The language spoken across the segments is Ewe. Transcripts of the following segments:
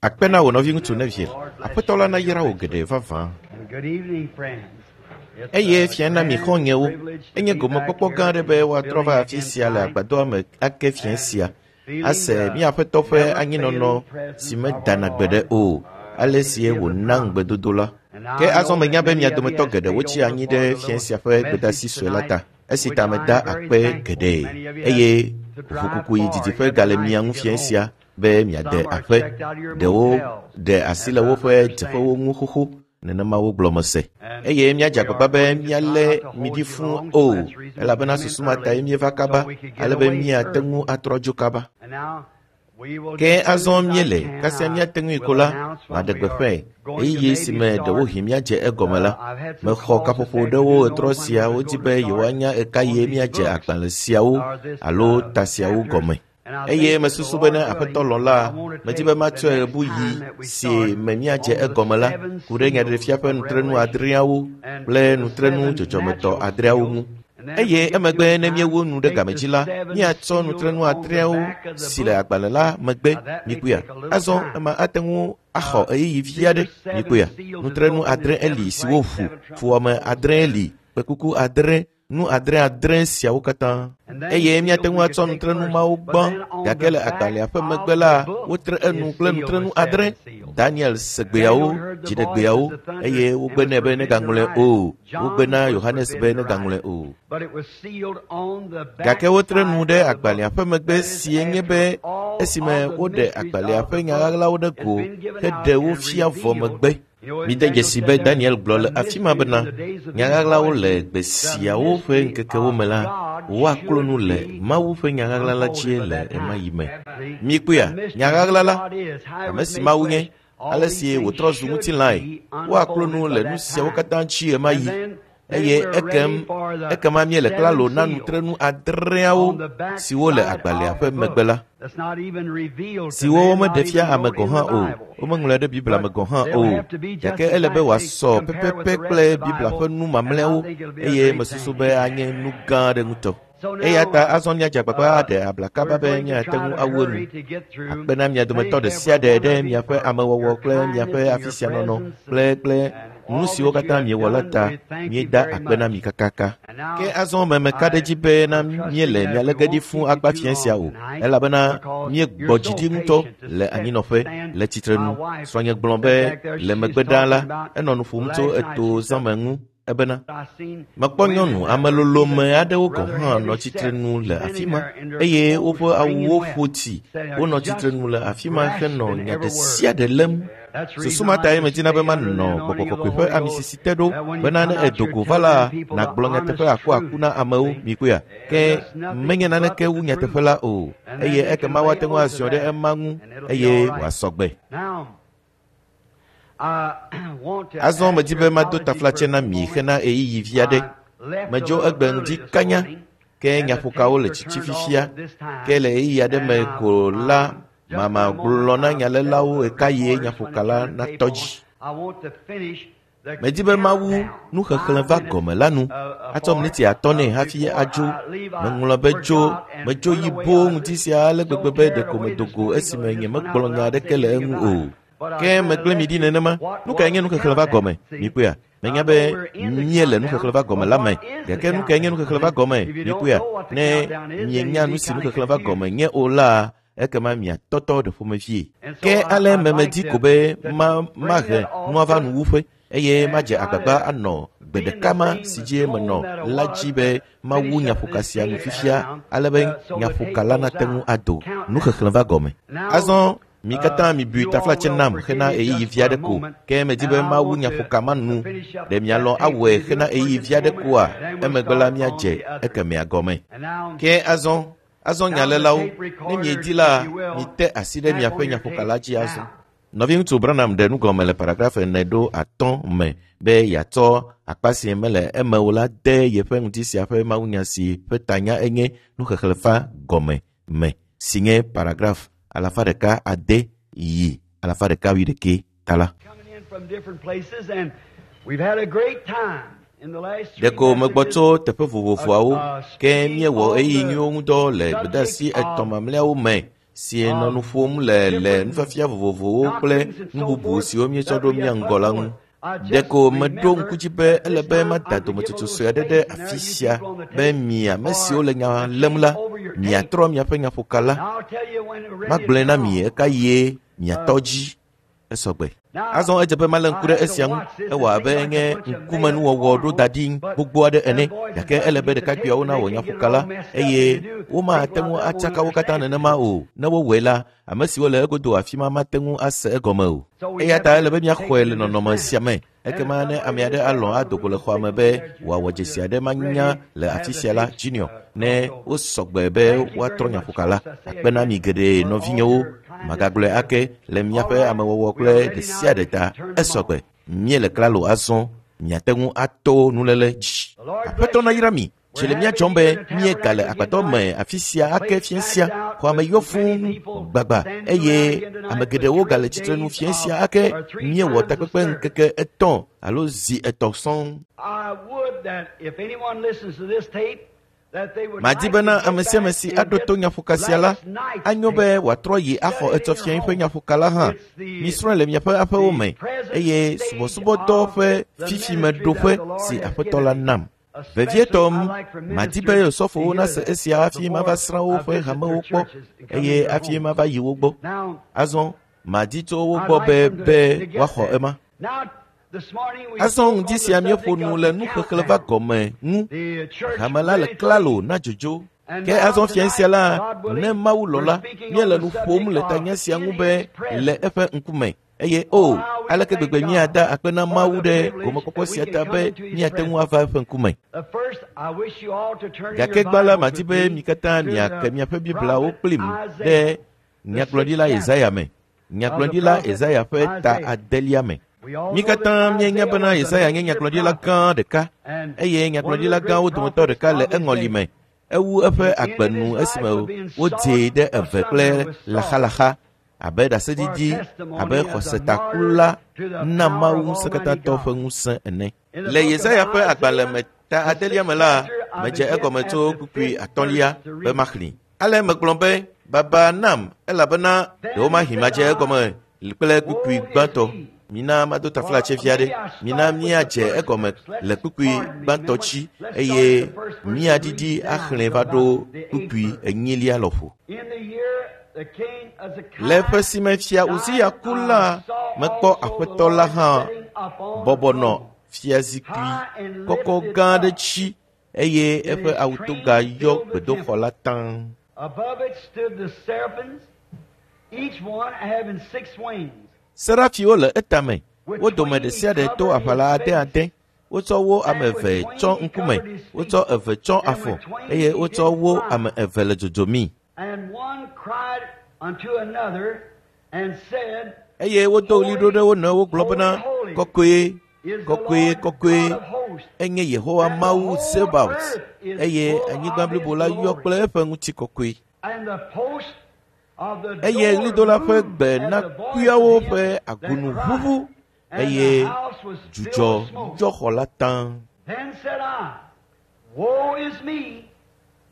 Akpe na wò nɔviŋutsu Neville. Aƒetɔ la nayra wò geɖe vavã. Eye fia na mi xɔ̃nyewo. Enye gomekpɔkpɔ gã aɖe be woatrɔ va afi sia le agbadɔa me ake fiẽ sia. Ase mía Aƒetɔ ƒe anyinɔnɔ si medana gbeɖe o, ale sie wòna ŋugbedodo la. Ke azɔ menya be mia dometɔ geɖewo tsi anyi ɖe fiẽ sia ƒe gbedeasi sue la ta. Esi ta meda akpe geɖe eye ʋukuku yi didiƒe gale mia ŋu fiẽ sia be miade aƒe. Ɖewo ɖe asi le woƒe dzeƒewo ŋu xoxo nenema wogblɔ mese. Eye míadze agbagba be míalé mi ɖi fũu o, elabena susu ma tae míeva kaba ale be míate ŋu atrɔ dzo kaba. Ke azɔ míele kasia míate ŋui ko la, maɖe gbeƒãe ɣeyiɣi si me ɖewohĩ míadze egɔme la. Mexɔ kaƒoƒo ɖewo ɣetrɔ sia wodi be yewoanya ɣekaɣie míadze agbalẽ siawo alo ta siawo gɔme. Eye mesusu be ne Aƒetɔ lɔ̃ la, medi be matsɔe ɣebuɣi si me míadze egɔme la ku ɖe Nyaɖeɖefia ƒe nutrenu adreawo kple nutrenu dzɔdzɔmetɔ adreawo ŋu. Eye emegbe ne míewu nu ɖe game dzi la, míatsɔ nutrenu adreawo si le agbalẽ la megbe mikpɔea. Azɔ ema ate ŋu axɔ ɣeyiɣi vi aɖe mikpɔea. Nutrenu adre eli siwo ʋu, fuwɔame adre eli, kpẽkuku adre, nu adre adre siawo katã. Eye míate ŋu atsɔ nutrenu mawo gbã, gake le agbalẽa ƒe megbe la, wotre enu kple nutrenu adre. Daniel se gbeawo, dziɖegbeawo, eye wogbe nɛ be negaŋlɔe o. Wogbe na Yohanes be negaŋlɔe o. Gake wotre nu ɖe agbalẽa ƒe megbe sie nye be esime woɖe agbalẽa ƒe nya ɣaɣlawo ɖe go heɖe wo fia vɔ megbe. Mide dzesi be Daniel gblɔ le afi ma bena nya ɣaɣlawo le gbe siawo ƒe ŋkekewo me la, woaklo nu le Mawu ƒe nya ɣaɣla la dzie le ɣemaɣi me. Mikpɔea, nya ɣaɣla la, ame si Mawu nye, ale si wòtrɔ zu ŋutilãe, woaklo nu le nu siawo katã dzi ɣemaɣi. Eye ekem ekema míele klalo na nutrenu adreawo siwo le agbalẽa ƒe megbe la, siwo womeɖe fia ame gɔ̃ hã o, womeŋlɔe ɖe Biblia me gɔ̃ hã o, gake ele be wòasɔ pɛpɛpɛ kple Biblia ƒe nu mamlɛawo eye mesusu be anye nu gã aɖe ŋutɔ. Eya ta azɔ míadze agbagba aɖe abla kaba be míate ŋu awu enu. Akpe na mia dometɔ ɖe sia ɖe ɖe miaƒe amewɔwɔ kple miaƒe afi sia nɔnɔ kple kple nu siwo katã miewɔ la ta míeda akpe na mi kakaka. Ke azɔ memeka ɖe edzi be na míele mia lé ge ɖi fũu akpa fiẽ sia o, elabena míegbɔ dzi ɖi ŋutɔ le anyinɔƒe le tsitrenu. Srɔ̃nye gblɔ be le megbe ɖaa la, enɔ nu ƒom tso eto zãme ŋu ebena mekpɔ nyɔnu ame lolome aɖewo gɔ̃ hã nɔ tsitrenu le afi ma eye woƒe awuwo ƒo tsi. Wonɔ tsitrenu le afi ma henɔ nya ɖe sia ɖe lém. Susu ma tae medina be manɔ gbɔgbɔ kɔkɔe ƒe amisisi te ɖo bena ne edo go va la, nàgblɔ nyateƒe akuaku na amewo mikpɔea. Ke menye naneke wu nyateƒe la o eye ekema woate ŋu aziɔ ɖe ema ŋu eye wòasɔ gbe. Azɔ medi be mado taflatse na mi hena ɣeyiɣi vi aɖe. Medzo egbe ŋdi kanya ke nyaƒokawo le tsitsi fifia ke le ɣeyiɣi aɖe me ko la mama gblɔ na nyalélawo ɣekaɣie nyaƒoka la natɔ dzi. Medi be mawu nuxexlẽ va gɔme la nu atsɔ miniti atɔ̃ nɛ hafi adzo. Meŋlɔ be dzo medzo yi boo ŋdi sia ale gbegbe be ɖeko medo go esime nyemegblɔ nya aɖeke le eŋu o. Ke megblẽ mi ɖi nenema. Nu kae nye nuxexlẽ va gɔme? Mikpɔea? Menya be míele nuxexlẽ va gɔme la me. Gake nu kae nye nuxexlẽ va gɔme? Mikpɔea? Ne mienya nu si nuxexlẽ va gɔme nye o la, ekema miatɔtɔ ɖe ƒomevie. Ke ale memedi ko be ma mahe nua va nuwuƒe eye madze agbagba anɔ gbe ɖeka ma si dzi menɔ la dzi be mawu nyaƒoka sia nu fifia ale be nyaƒoka la nate ŋu ado nuxexlẽ va gɔme. Azɔ mi katã mibui taflatse nam hena ɣeyiɣi vi aɖe ko ke medi be mawu nyaƒoka ma nu. Ɖe mialɔ̃ awɔe hena ɣeyiɣi vi aɖe koa? Emegbe la míadze ekemɛa gɔme. Ke azɔ azɔ nyalélawo, ne miedi la, mite asi ɖe miaƒe nyaƒoka la dzi azɔ. Nɔviŋutsu Branham ɖe nugɔme le paragraf ene ɖo atɔ̃ me be yeatsɔ akpa si mele eme o la de yeƒe ŋdi sia ƒe mawunya si ƒe tanya enye nuxexlẽ va gɔme me si nye paragraf alafa ɖeka ade yi alafa ɖeka wuiɖekɛ ta la. Coming in from different places, and we've had a great time in the last three Ɖeko megbɔ messages. tso teƒe vovovoawo ke míewɔ ɣeyiɣi nyuiwo ŋudɔ le gbedeasi etɔ̃ mamlɛawo me. si nɔ nu ƒom le le nufiafia vovovowo kple nu bubu siwo míetsɔ ɖo mía ŋgɔ la ŋu. Ɖeko meɖo ŋku dzi be ele be mada dometsotso sue aɖe ɖe afi sia be mi ame siwo le nya lém la, miatrɔ miaƒe nyaƒoka la. Magblɔe na mi ɣekaɣie miatɔ dzi esɔgbe. Azɔ edze be malé ŋku ɖe esia ŋu. Ewɔ abe nye ŋkumenuwɔwɔ ɖo da ɖi gbogbo aɖe ene gake ele be ɖekakpuiawo nawɔ nyaƒoka la eye womate ŋu atsaka wo katã nenema o. Ne wowɔe la, ame siwo le egodo afi ma mate ŋu ase egɔme o. Eya ta ele be míaxɔe le nɔnɔme sia me. Ekema ne ame aɖe alɔ̃ ado go le xɔa me be wòawɔ dzesi aɖe manya le afi sia la, Junior, ne wosɔgbe be woatrɔ nyaƒoka la, akpe na mi geɖe nɔvinyewo. Magagblɔe ake le míaƒe amewɔwɔ kple ɖe sia ɖe ta. Esɔgbe. Míele klalo azɔ. Miate ŋu ato nuléle dzi. Aƒetɔ nayra mi. Tsi le mía dzɔm be míegale agbadɔ me afi sia ake fiẽ sia. Xɔa me yɔ fũu gbagba eye ame geɖewo gale tsitrenu fiẽ sia ake. Míewɔ takpekpe ŋkeke etɔ̃ alo zi etɔ̃ sɔŋ. I would that if anyone listens to this tape, that they would Madi like bena to get ame sia ame back si and aɖo get to nyaƒoka sia la, last night's anyo tape. be wòatrɔ yi axɔ etsɔ fiẽ ƒe nyaƒoka la hã. Misrɔ̃e le miaƒe aƒewo me eye subɔsubɔdɔ ƒe fifimeɖoƒe si Aƒetɔ la nam. Vevietɔ madi be osɔfowo nase esia hafi mava srã woƒe hamewo kpɔ eye hafi mava yi wo gbɔ. Now, Azɔ madi tso wo I'd gbɔ like be them to, be to get woaxɔ that. ema. Now, this morning we Azɔ spoke ŋdi on the sia míeƒo subject nu of le the nuxexlẽ va countdown. gɔme ŋu. The church Hame la le ready to klalo leave. na dzodzo. And Ke now azɔ fiẽ sia tonight, la, God ne willing, Mawu lɔ̃ we're la, speaking on míele the nu ƒom subject le of tanya sia ŋu in be His le presence. eƒe ŋkume. Eye o, Oh, how we aleke thank gbegbe God míada akpe na for Mawu the ɖe privilege gomekpɔkpɔ that we sia can ta come be into His míate ŋu presence. ava eƒe ŋkume. The first, I wish you all to turn in your Gake gbã la, Bibles madi with be me mi katã to miake the miaƒe Bibliawo prophet kplim ɖe Isaiah, the sixth nyagblɔɖila chapter Yesaya me. of the Nyagblɔɖila prophet Yesaya ƒe ta Isaiah. adelia me. We all Mi know that katã míenya Isaiah bena was a Yesaya nye major nyagblɔɖila prophet gã ɖeka and eye one of the nyagblɔɖila great gãwo dometɔ prophets ɖeka le of his eŋɔli day. me. Ewu eƒe He ended agbenu his life esime of being wodzee sawed ɖe eve kple asunder with saws laxalaxa abe for a ɖaseɖiɖi abe testimony as a martyr xɔsetakula to the na power Mawu of Almighty ŋusẽkatãtɔ ƒe God. ŋusẽ ene. In the Le book of Yesaya ƒe agbalẽ Isaiah, me ta the adelia sixth me la, chapter, I medze begin egɔme at tso the kpukpui fifth atɔ̃lia verse to be read. maxlẽ. Ale megblɔ be, baba nam elabena ɖewomahi Then madze said I, egɔme kple kpukpui Woe is gbãtɔ. me, Mina mado for taflatse fia ɖe. maybe I Mina start with the míadze first egɔme verse. Let's le kpukpui pardon me, gbãtɔ man. dzi Let's start eye at the first verse and míaɖiɖi read down axlẽ to va ɖo about the eighth kpukpui verse. enyilia lɔƒo. In the year the king Le ƒe Hezekiah si me fia Uziya died, ku I la, saw mekpɔ also the Aƒetɔ la Lord hã sitting upon a bɔbɔ nɔ throne, fiazikpui high and kɔkɔ lifted gã aɖe up, dzi eye and eƒe his train awutoga yɔ filled the gbedoxɔ temple. la taŋ. Above it stood the seraphims, each one having six wings. Serafiwo le etame. With Wo dome twain ɖe he sia ɖe to covered his aʋala ade face, ade. Wotsɔ wo ame and with eve twain tsɔ he ŋkume, covered his feet, wotsɔ eve tsɔ and afɔ with twain eye he wotsɔ did wo fly. ame eve le dzodzomii. And one cried unto another and said, Eye wodo ɣli ɖo Holy, ɖe wo nɔewo gblɔ holy, bena, holy Kɔkɔe, is the kɔkɔe, Lord kɔkɔe God of hosts, enye Yehowa and the Mawu whole Zebaot earth is eye full anyigba of His blibo la yɔ glory. kple eƒe ŋutikɔkɔe. And the post of the Eye door ɣlidola ƒe moved gbe at na the voice of kuyawo him ƒe that agunu cried, ʋuʋu and the eye house was filled dzudzɔ with smoke. yɔ xɔ la taŋ. Then said I, Woe is me,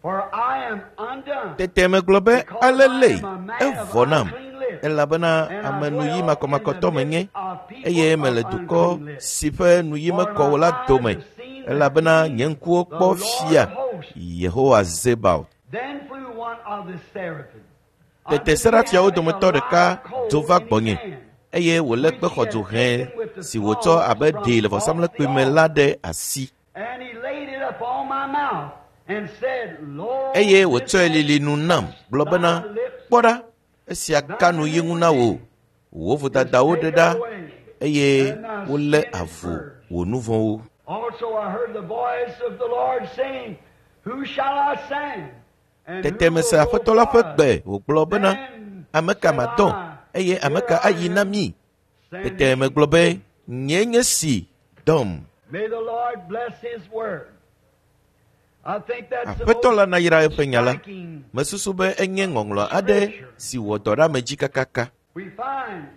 for I am undone, Tete megblɔ be because I alele am a man of evɔ nam unclean lips, elabena and I ame nuyi dwell in the makɔmakɔtɔ midst menye of people eye of mele dukɔ unclean lips. si ƒe nuyi For mekɔ my o la eyes dome have seen the elabena King, nye ŋkuwo the kpɔ Lord fia of hosts. Yehowa Zebaot. Then flew one of the seraphim Tete unto me, serafiawo having a dometɔ ɖeka live coal do va in his gbɔnye hand, eye wòlé which kpe he xɔdzo had hẽ taken with the si wòtsɔ tongs abe from ɖee le off the vɔsamlekpui me la altar. ɖe asi And he laid it upon my mouth and said, Lo, eye this wòtsɔe hath lili nu nam touched gblɔ thy bena, lips, Kpɔ ɖa, esia ka thine nu yi ŋu na wò, iniquity wò is vodadawo ɖe taken ɖa away, eye and thy wolé sin is avu purged. wò nu vɔ̃wo. Also I heard the voice of the Lord saying, Who shall I send? And Tete who mese will go Aƒetɔ la for ƒe us? gbe wògblɔ bena, Then Ame ka said madɔ I, eye ame Here ka I ayi na am, mí? send Tete me. megblɔ be, Nyee nye si, dɔm. May the Lord bless His word. I think that's the Aƒetɔ most la nayra eƒe nya la. striking Mesusu be enye ŋɔŋlɔ aɖe scripture. si wɔ dɔ ɖe ame dzi kakaka. We find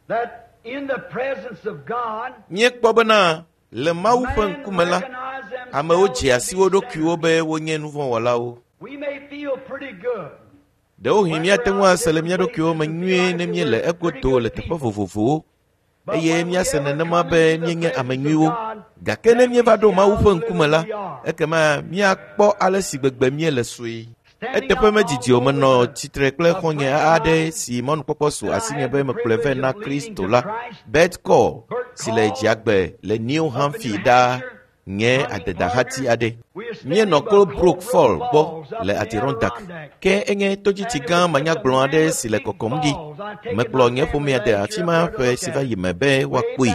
that in the presence of God, Míekpɔ bena le Mawu ƒe men ŋkume la, recognize amewo themselves dzea to si be wo ɖokuiwo sinners. be wonye nuvɔ̃wɔlawo. We may feel pretty good. Ɖewohĩ míate ŋu ase le mía ɖokuiwo me nyuie ne míele egodo le teƒe vovovowo eye míase nenema be míenye ame nyuiwo. Gake ne míeva ɖo Mawu ƒe ŋkume la, ekema míakpɔ ale si gbegbe míele sue. Eteƒe medidi o menɔ tsitre kple xɔ̃nye aɖe si mɔnukpɔkpɔ su asinye be mekplɔe vɛ na Kristo la, Bert Call, si le Dziagbe le New Hampshire ɖaa nye adedahati aɖe. Míenɔ Colebrook Fall gbɔ le Adirondack, ke enye todzitsi gã manyagblɔ aɖe si le kɔkɔm ɖi. Mekplɔ nye ƒomea de afi ma ƒe si va yi me be woakpɔe.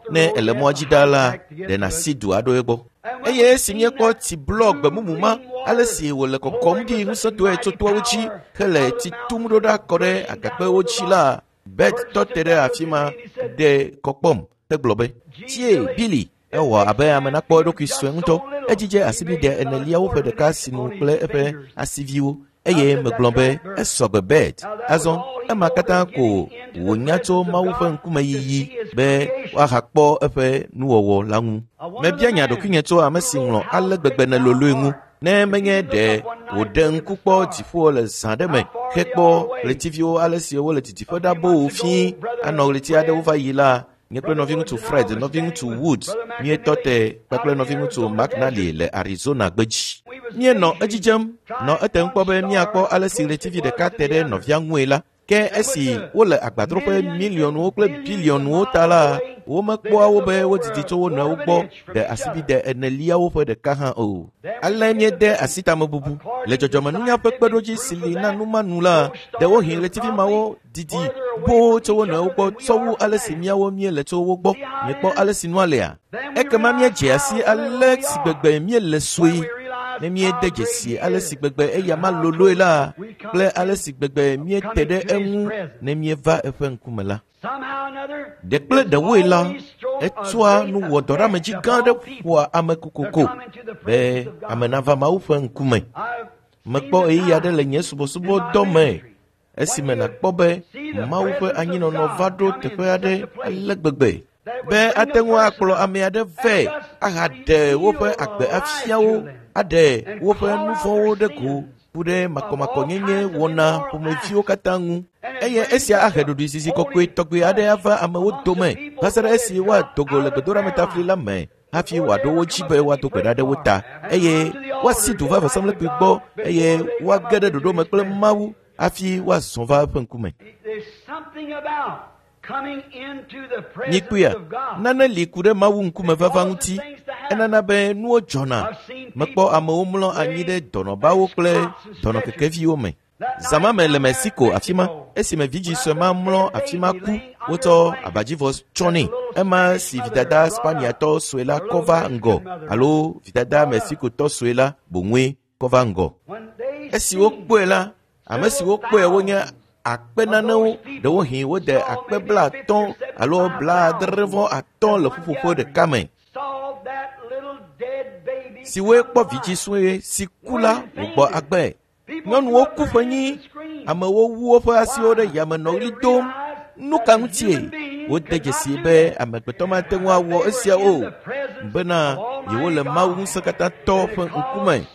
Ne èle mɔa dzi ɖaa la, ɖe nàsi du aɖo egbɔ. Eye esi míekpɔ tsi blɔ gbemumu ma, ale si wòle kɔkɔm ɖi ŋusẽtɔe tso toawo dzi hele tsi tum ɖo ɖa kɔ ɖe agakpewo dzi la, Bet tɔ te ɖe afi ma ɖe kɔ kpɔm hegblɔ be, Tsie, Billy, ewɔ abe ame nakpɔ eɖokui sue ŋutɔ. Edzidze asibide eneliawo ƒe ɖeka sinu kple eƒe asiviwo eye megblɔ be esɔ gbe Bet. Azɔ ema katã ko wònya tso Mawu ƒe ŋkumeyiyi be woahakpɔ eƒe nuwɔwɔ la ŋu. Mebia nya ɖokuinye tso ame si ŋlɔ ale gbegbe neloloe ŋu ne menye ɖe wòɖe ŋku kpɔ dziƒo le zã ɖe me hekpɔ ɣletiviwo ale si wole didiƒe ɖa boo fĩi anɔ ɣleti aɖewo va yi la, nye kple nɔviŋutsu Fred, nɔviŋutsu Woods míetɔ te kpakple nɔviŋutsu McNally le Arizona gbedzi. Míenɔ edzi dzem nɔ etem kpɔ be míakpɔ ale si ɣletivi ɖeka te ɖe nɔvia ŋue la. Ke esi wole agbadroƒe miliɔnwo kple biliɔnwo ta la, womekpɔa wo be wodidi tso wo nɔewo gbɔ ɖe asibide eneliawo ƒe ɖeka hã o. Ale míede asi tamebubu le dzɔdzɔmenunya ƒe kpeɖodzi si li na nu ma nu la, ɖewohĩ ɣletivi mawo didi boo tso wo nɔewo gbɔ tsɔ wu ale si míawo míele tso wo gbɔ. Miekpɔ ale si nua lea? Ekema míedze asi ale si gbegbe míele sue. Ne míede dzesi ale si gbegbe eya ma loloe la kple ale si gbegbe míete ɖe eŋu ne míeva eƒe ŋkume la. Ɖe kple ɖewoe la, etsɔa nuwɔdɔɖeamedzi gã aɖe ƒoa ame kokoko be ame nava Mawu ƒe ŋkume. Mekpɔ ɣeyiɣi aɖe le nye subɔsubɔdɔ me esime nàkpɔ be Mawu ƒe anyinɔnɔ va ɖo teƒe aɖe ale gbegbe be ate ŋu akplɔ ame aɖe vɛ ahaɖe woƒe agbe afia wo, aɖe woƒe nu vɔ̃wo ɖe go ku ɖe makɔmakɔnyenye wɔna ƒomeviwo katã ŋu. Eye esia ahe ɖoɖoezizi kɔkɔe tɔgbe aɖe ava amewo dome va se ɖe esi woado go le gbedoɖametafli la me hafi wòaɖo wo dzi be woado gbe ɖa ɖe wo ta eye woasi du va vɔsamlekpui gbɔ eye woage ɖe ɖoɖo me kple Mawu hafi woazɔ va eƒe ŋkume. There's something about coming into the presence Mikpɔea, of God. nane li ku ɖe Mawu ŋkume vava ŋuti. Enana be nuwo dzɔna. Mekpɔ amewo mlɔ anyi ɖe dɔnɔbawo kple dɔnɔkekeviwo me. Zã ma me le Mexico afi ma, esime vidzĩ sue ma mlɔ afi ma ku, wotsɔ abadzivɔ tsɔ nɛ. Ema si vidada Spaniatɔ sue la kɔ va ŋgɔ alo vidada Mexicotɔ sue la boŋue kɔ va ŋgɔ. When they Esi wokpɔe la, ame siwo kpɔe wonye akpe nanewo, ɖewohĩ wode akpe 50 alo 75 le ƒuƒoƒo ɖeka me saw that little dead baby siwoe kpɔ vidzĩ sue si ku la wògbɔ agbe. Nyɔnuwo ku ƒenyi, amewo wu woƒe asiwo ɖe yame nɔ ɣli dom. Nu ka ŋutie? Wode dzesi be amegbetɔ mate ŋu awɔ esia o bena yewole Mawu ŋusẽkatãtɔ ƒe ŋkume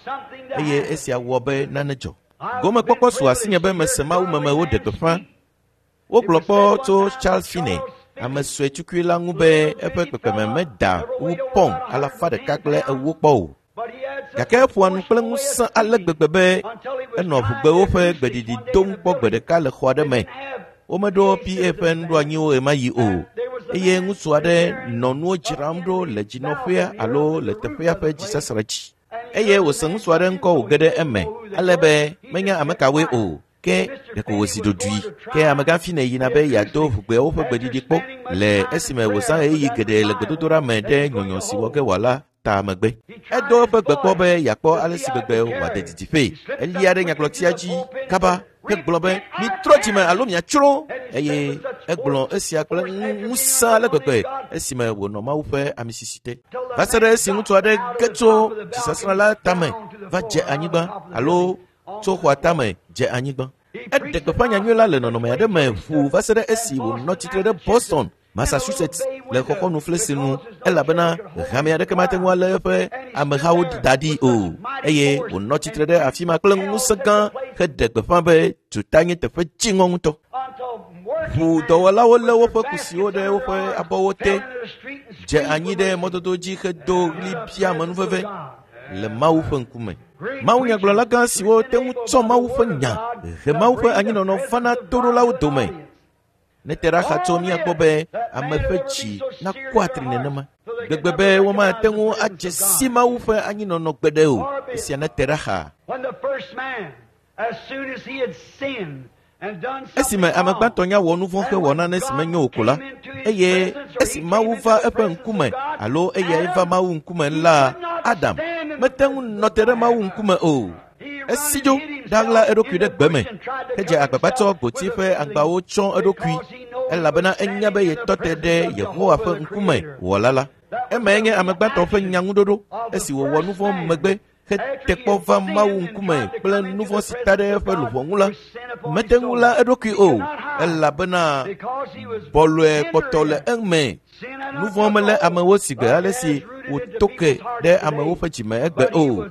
eye esia wɔ be nane dzɔ. Gomekpɔkpɔ su asinye be mese Mawu meme woɖe gbeƒã. Wogblɔ kpɔ tso Charles Finney, ame sue tukui la ŋu be eƒe kpekpeme meda wu pɔn 140 kpɔ o. But he had such Gake eƒoa nu kple ŋusẽ ale gbegbe be enɔ ʋugbewo ƒe gbeɖiɖi dom kpɔ gbe ɖeka le xɔ aɖe me. Womeɖo PA ƒe nuɖoanyiwo ɣemaɣi o eye ŋutsu aɖe nɔ nuwo dzram ɖo le dzinɔƒea alo le teƒea ƒe dzisasra dzi. Eye wòse ŋutsu aɖe ŋkɔ wòge ɖe eme ale be menya ame kawoe o. Ke ɖeko wòzi ɖoɖoe. Ke amegã Finney yina be yeado ʋugbeawo ƒe gbeɖiɖi kpɔ le esime wòzã ɣeyiɣi geɖe le gbedodoɖa me ɖe nyɔnyɔ si wɔ ge wòala ta megbe. Edo eƒe gbe kpɔ be yeakpɔ ale si gbegbe wòade didiƒee. Elia ɖe nyagblɔtia dzi kaba hegblɔ be mitrɔ dzime alo miatsrɔ̃ eye egblɔ esia kple ŋusẽ ale gbegbe esime wònɔ Mawu ƒe amisisi te. Va se ɖe esi ŋutsu aɖe ge tso dzisasrã la tame va dze anyigba alo tso xɔa tame dze anyigba. Eɖe gbeƒã nyanyui la le nɔnɔme aɖe me ʋuu va se ɖe esi wònɔ tsitre ɖe Boston, Massachusetts le xɔxɔnu flesi nu elabena hame aɖeke mate ŋu alé eƒe amehawo da ɖi o eye wònɔ tsitre ɖe afi ma kple ŋusẽ gã heɖe gbeƒã be duta nye teƒe dziŋɔ ŋutɔ. Ʋu dɔwɔlawo lé woƒe kusiwo ɖe woƒe abɔwo te, dze anyi ɖe mɔdodo dzi hedo ɣli bia amenuveve le Mawu ƒe ŋkume. Mawunyagblɔla gã siwo te ŋu tsɔ Mawu ƒe nya he Mawu ƒe anyinɔnɔ vana toɖolawo dome. Ne te ɖa xa tso míakpɔ be ame ƒe dzi nakɔ atri nenema gbegbe be womate ŋu adze si Mawu ƒe anyinɔnɔ gbeɖe o. Esia ne te ɖa xa. Esime ame gbãtɔ nya wɔ nu vɔ̃ hewɔ nane si menyo o ko la, eye esi Mawu va eƒe ŋkume alo eyae va Mawu ŋkume la, Adam mete ŋu nɔ te ɖe Mawu ŋkume o. Esi dzo ɖaɣla eɖokui ɖe gbe me hedze agbagba tsɔ gboti ƒe agbawo tsyɔ eɖokui elabena enya be yetɔ te ɖe Yehowa ƒe ŋkume wɔla la. Emae nye ame gbãtɔ ƒe nyaŋuɖoɖo esi wòwɔ nu vɔ̃ megbe hete kpɔ va Mawu ŋkume kple nu vɔ̃ si ta ɖe eƒe luʋɔ ŋu la, mete ŋu la eɖokui o, elabena bɔlɔe kpɔtɔ le eme. Nu vɔ̃ melé amewo si gbe ale si wòto ke ɖe amewo ƒe dzime egbe o.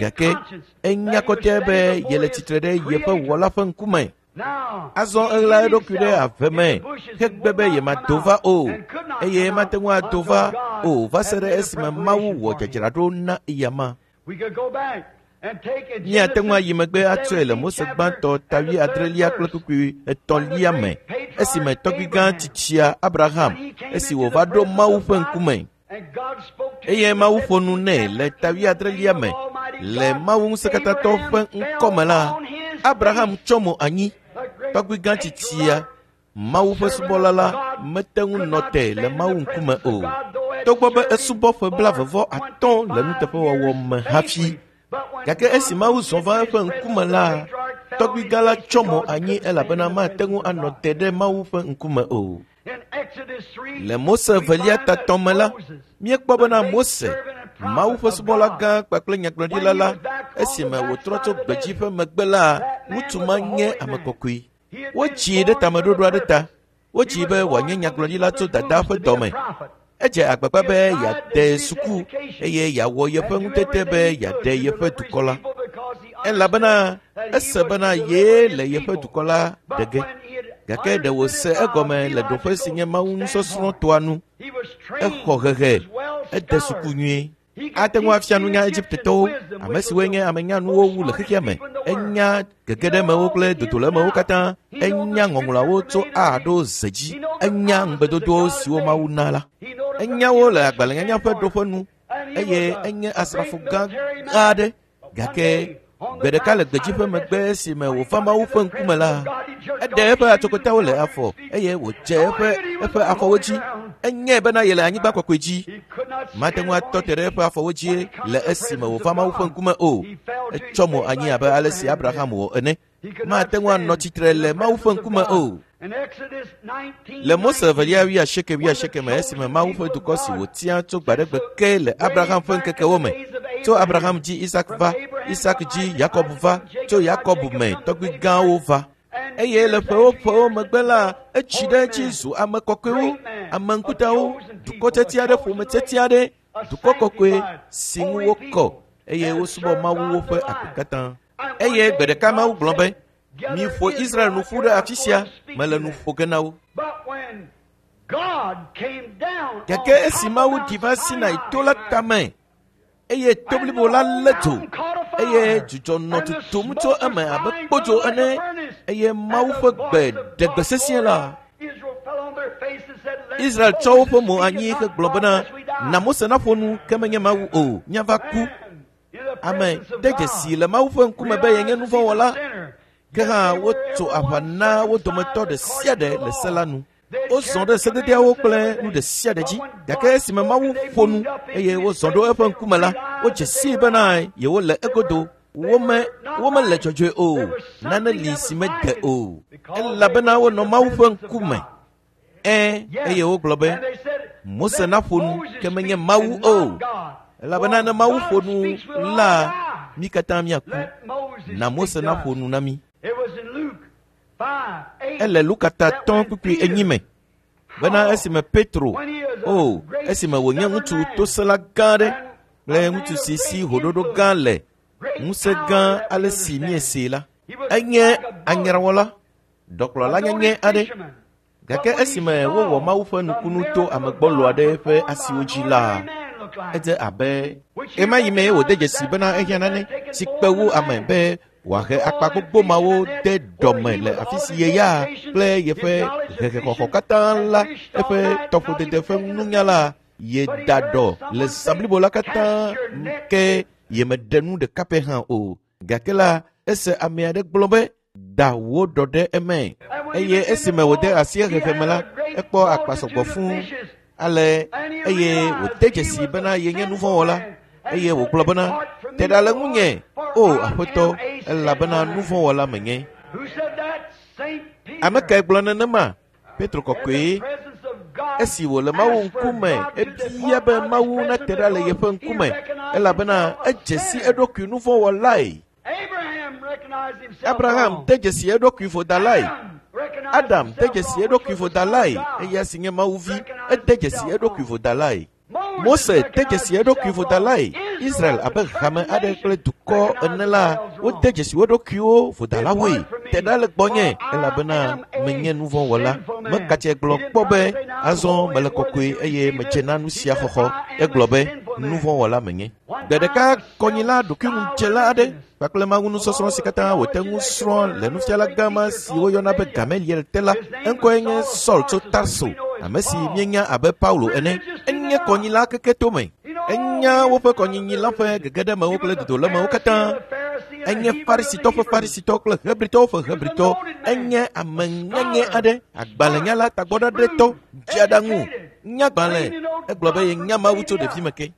Gake enya kɔtɛ be yele tsitre ɖe yeƒe wɔla ƒe ŋkume. Azɔ eɣla eɖokui ɖe ave me hegbe be yemado va o, eye mate ŋu ado va o va se ɖe esime Mawu wɔ dzadzraɖo na eyama. Míate ŋu ayi megbe atsɔe le Mose gbãtɔ ta wuiadrelia kple kpukpui etɔ̃lia me, esime tɔgbui gã tsitsia Abraham, esi wòva ɖo Mawu ƒe ŋkume. Eye Mawu ƒo nu nɛ le ta wuiadrelia me le Mawu Ŋusẽkatãtɔ ƒe ŋkɔ me la, Abraham tsɔ mo anyi. Tɔgbui gã tsitsia, Mawu ƒe subɔla la, mete ŋu nɔ te le Mawu ŋkume o, togbɔ be esubɔ ƒe blaeve-vɔ-atɔ̃ le nuteƒewɔwɔ me hafi. Gake esi Mawu zɔ va eƒe ŋkume la, tɔgbui gã la tsɔ mo anyi elabena mate ŋu anɔ te ɖe Mawu ƒe ŋkume o. Le Mose evelia tatɔ me la, míekpɔ bena Mose, Mawu ƒe subɔla gã kpakple nyagblɔɖila la, esime wòtrɔ tso gbedzi ƒe megbe la, ŋutsu ma nye ame kɔkɔe. Wodzii ɖe tameɖoɖo aɖe ta. Wodzii be wòanye nyagblɔɖila tso dadaa ƒe dɔme. Edze agbagba be yeade suku eye yeawɔ yeƒe ŋutete be yeaɖe yeƒe dukɔ la. Elabena ese bena yee le yeƒe dukɔ la ɖe ge. Gake ɖe wòse egɔme le ɖoƒe si nye Mawu nusɔsrɔ̃ toa nu. Exɔ hehe, ede suku nyuie. Ate ŋu afia nunya Egiptetɔwo, ame siwoe nye ame nyanuwo wu le xexea me. Enya gegeɖemewo kple dodolemewo katã. Enya ŋɔŋlɔawo tso A ɖo Z dzi. Enya ŋugbedodowo siwo Mawu na la. Enya wo le agbalẽnyanya ƒe ɖoƒe nu eye enye asrafo gã aɖe. Gake gbe ɖeka le gbedzi ƒe megbe esime wòva Mawu ƒe ŋkume la, eɖe eƒe atsokotawo le afɔ eye wòdze eƒe eƒe afɔwo dzi. Enyae bena yele anyigba kɔkɔe dzi. Mate ŋu atɔ te ɖe eƒe afɔwo dzi le esime wòva Mawu ƒe ŋkume o. Etsɔ mo anyi abe ale si Abraham wɔ ene. Mate ŋu anɔ tsitre le Mawu ƒe ŋkume o. Le Mose evelia wuiasieke wuiasieke me esime Mawu ƒe dukɔ si wòtia tso gbaɖegbe ke le Abraham ƒe ŋkekewo me, tso Abraham dzi Isak va, Isak dzi Yakob va, tso Yakob me tɔgbui gãwo va. Eye le ƒewo ƒewo megbe la, etsi ɖe edzi zu ame kɔkɔewo, ame ŋkutawo, dukɔ tiatia aɖe, ƒome tiatia aɖe, dukɔ kɔkɔe si ŋu wokɔ eye wosubɔ Mawu woƒe agbe katã. Eye gbe ɖeka Mawu gblɔ be, Miƒo Israel nu ƒu ɖe afi sia, mele nu ƒo ge na wo. Gake esi Mawu ɖi va Sinai to la tame, eye to blibo la lé dzo, eye dzudzɔ nɔ tutum tso eme abe kpodzo ene, eye Mawu ƒe gbe ɖe gbe sesĩe la, Israel tsɔ woƒe mo anyi hegblɔ bena, Na Mose naƒo nu, ke menye Mawu o, míava ku. Ame de dzesi le Mawu ƒe ŋkume be yenye nuvɔ̃wɔla. Ke hã wotso aʋa na wo dometɔ ɖe sia ɖe le se la nu. Wozɔ ɖe sededeawo kple nu ɖe sia ɖe dzi. Gake esime Mawu ƒo nu eye wozɔ ɖo eƒe ŋkume la, wodze sii bena yewole egodo. Wome, womele dzɔdzɔe o. Nane li si mede o. Elabena wonɔ Mawu ƒe ŋkume. Ẽ, eye wogblɔ be, Mose naƒo nu, ke menye Mawu o. Elabena ne Mawu ƒo nu la, mí katã míaku. Na Mose naƒo nu na mí. Ele Luka ta tɔ̃ kpukpui enyi me bena esime Petro, o, esime wònye ŋutsu tosẽla gã aɖe kple ŋutsu si si hoɖoɖo gã le, ŋusẽ gã ale si míesee la. Enye anyrawɔla, ɖɔkplɔla nyanyɛ aɖe. Gake esime wowɔ Mawu ƒe nukunu to ame gbɔlo aɖe ƒe asiwo dzi la, edze abe ɣemaɣi mee wòde dzesi bena ehiã nane si kpe wu ame be wòahe akpa gbogbo mawo de dɔme le afi si ye ya kple yeƒe hehexɔxɔ katã la, eƒe tɔƒodede ƒe nunya la, yeda dɔ le zã blibo la katã ke yemeɖe nu ɖeka pɛ hã o. Gake la, ese ame aɖe gblɔ be, da wò ɖɔ ɖe eme. Eye esime wòde asi xexe me la, ekpɔ akpa sɔgbɔ fũu ale eye wòde dzesi bena yenye nuvɔ̃wɔla eye wògblɔ bena, te ɖa le ŋunye, o Aƒetɔ, elabena nuvɔ̃wɔla menye. Ame kae gblɔ nenema? Petro kɔkɔe. Esi wòle Mawu ŋkume, ebia be Mawu nate ɖa le yeƒe ŋkume, elabena edze si eɖokui nuvɔ̃wɔlae. Abraham de dzesi eɖokui vodalae. Adam de dzesi eɖokui vodalae, eya si nye Mawu vi, ede dzesi eɖokui vodalae. Mose de dzesi eɖokui vodalae. Israel abe hame aɖe kple dukɔ ene la, wode dzesi wo ɖokuiwo vodalawoe. Te ɖa le gbɔnye, elabena menye nuvɔ̃wɔla. Mekatse gblɔ kpɔ be, azɔ mele kɔkɔe eye medze na nu sia xɔxɔ. Egblɔ be, nuvɔ̃wɔla menye. Gbe ɖeka kɔnyila ɖokuiŋudzela aɖe kpakple Mawu nusɔsrɔ̃ si katã wòte ŋu srɔ̃ le nufiala gã ma si woyɔna be Gamaliel te la, eŋkɔe nye Saul tso Tarso, ame si míenya abe Paulo ene. Enye kɔnyila keke tome. Enya woƒe kɔnyinyi la ƒe gegeɖemewo kple dodolemewo katã. Enye Farisitɔ ƒe Farisitɔ kple Hebritɔwo ƒe Hebritɔ. Enye ame nyanyɛ aɖe, agbalẽnyala tagbɔɖaɖɛtɔ, dzeaɖaŋu, nyagbalẽ. Egblɔ be yenya Mawu tso ɖevime ke.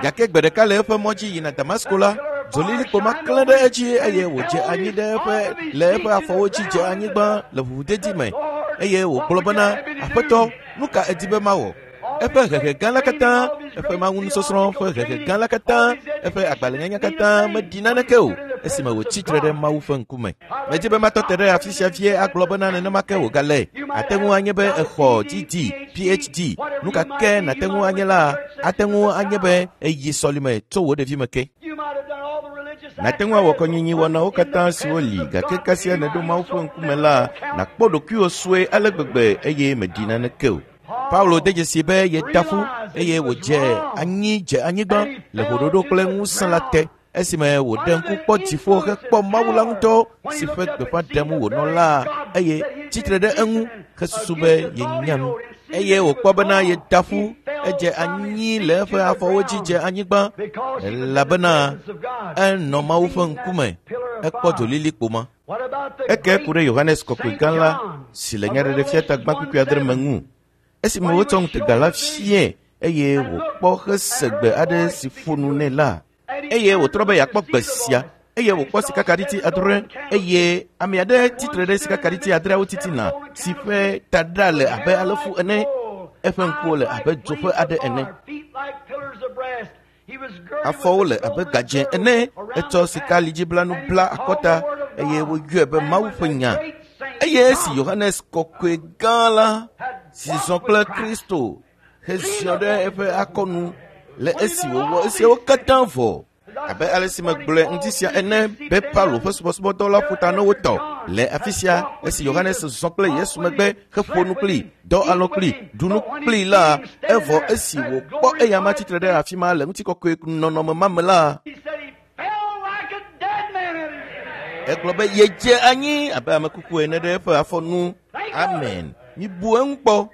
Gake gbe ɖeka le eƒe mɔ dzi yina Damasko la, dzolilikpo ma klẽ ɖe edzi eye wòdze anyi ɖe eƒe le eƒe afɔwo dzi dze anyigba le ʋuʋudedi me eye wògblɔ bena, Aƒetɔ, nu ka èdi be mawɔ? Eƒe hehe gã la katã, eƒe mawunusɔsrɔ̃ ƒe hehe gã la katã, eƒe agbalẽnyanya katã meɖi naneke o esime wòtsi tre ɖe Mawu ƒe ŋkume. Medi be matɔ te ɖe afi sia vie agblɔ bena nenema ke wògale. Ate ŋu anye be exɔ DD, PhD, nu ka ke nàte ŋu anye la, ate ŋu anye be èyi sɔlime tso wò ɖevime ke. Nàte ŋu awɔ kɔnyinyi wɔnawo katã siwo li, gake kasia nèɖo Mawu ƒe ŋkume la, nàkpɔ ɖokuiwò sue ale gbegbe eye mèɖi naneke o. Paulo de dzesi be yeda ƒu eye wòdze anyi dze anyigba le ʋuɖoɖo kple ŋusẽ la te esime wòɖe ŋku kpɔ dziƒo hekpɔ Mawu la ŋutɔ si ƒe gbeƒã ɖem wònɔ la eye tsitre ɖe eŋu hesusu be yenya nu. Eye wòkpɔ bena yeda ƒu, edze anyi le eƒe afɔwo dzi dze anyigba elabena enɔ Mawu ƒe ŋkume, ekpɔ dzolilikpo ma. Eke ku ɖe Yohanes Kɔkɔe gã la si le Nyaɖeɖefia ta gbã kpukpui adre me ŋu. Esime wotsɔ ŋutega la fiae eye wòkpɔ hese gbe aɖe si ƒo nu nɛ la, eye wòtrɔ be yeakpɔ gbe sia eye wòkpɔ sikakaɖiti adre eye ame aɖe tsitre ɖe sikakaɖiti adreawo titina si ƒe taɖa le abe alefu ene, eƒe ŋkuwo le abe dzo ƒe aɖe ene, afɔwo le abe gadzẽ ene, etsɔ sikalidziblanu bla akɔta eye woyɔe be Mawu ƒe nya. Eye esi Yohanes Kɔkɔe gã la si zɔ kple Kristo heziɔ ɖe eƒe akɔnu le esi wòwɔ esiawo katã vɔ, abe ale si megblɔe ŋdi sia ene be Paulo ƒe subɔsubɔdɔ la ƒo ta na wo tɔ le afi sia esi Yohanes zɔ kple Yesu megbe heƒo nu kpli, dɔ alɔ̃ kpli, ɖu nu kpli la, evɔ esi wòkpɔ eyama tsitre ɖe afi ma le ŋutikɔkɔe nɔnɔme ma me la, egblɔ be yedze anyi abe ame kuku ene ɖe eƒe afɔ nu. Amen. Mibu eŋu kpɔ.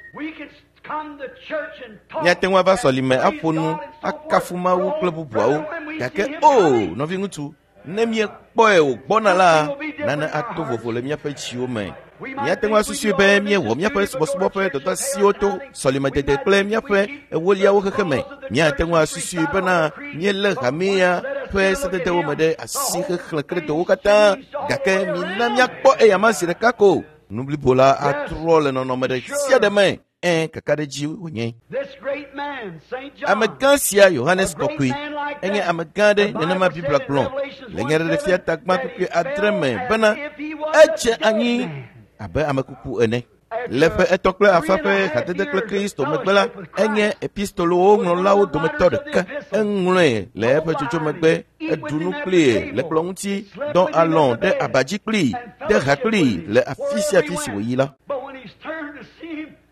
Míate ŋu ava sɔlime aƒo nu, akafu Mawu kple bubuawo, gake o, nɔviŋutsu, ne míekpɔe wògbɔna la, nane ato vovo le míaƒe dziwo me. Míate ŋu asusui be míewɔ míaƒe subɔsubɔ ƒe dɔdeasiwo to sɔlimedede kple míaƒe ewoliawo xexe me. Míate ŋu asusui bena míelé hamea ƒe sededewo me ɖe asi hexlẽ kredɔwo katã, gake mina míakpɔ eyama zi ɖeka ko. Nu blibo la atrɔ le nɔnɔme ɖe sia ɖe me. Ẽ, kakaɖedzi wònye. Amegã sia Yohanes Kɔkɔe enye amegã aɖe nenema Biblia gblɔ le Nyaɖeɖefia ta gbã kpukpui adre me bena edze anyi abe ame kuku ene. Le ƒe etɔ̃ kple afã ƒe hadede kple Kristo megbe la, enye epistolowo ŋlɔlawo dometɔ ɖeka. Eŋlɔe le eƒe dzodzo megbe, eɖu nu kplii le kplɔ̃ ŋuti, dɔ alɔ̃ ɖe aba dzi kplii, de ha kplii le afi sia afi si wòyi la.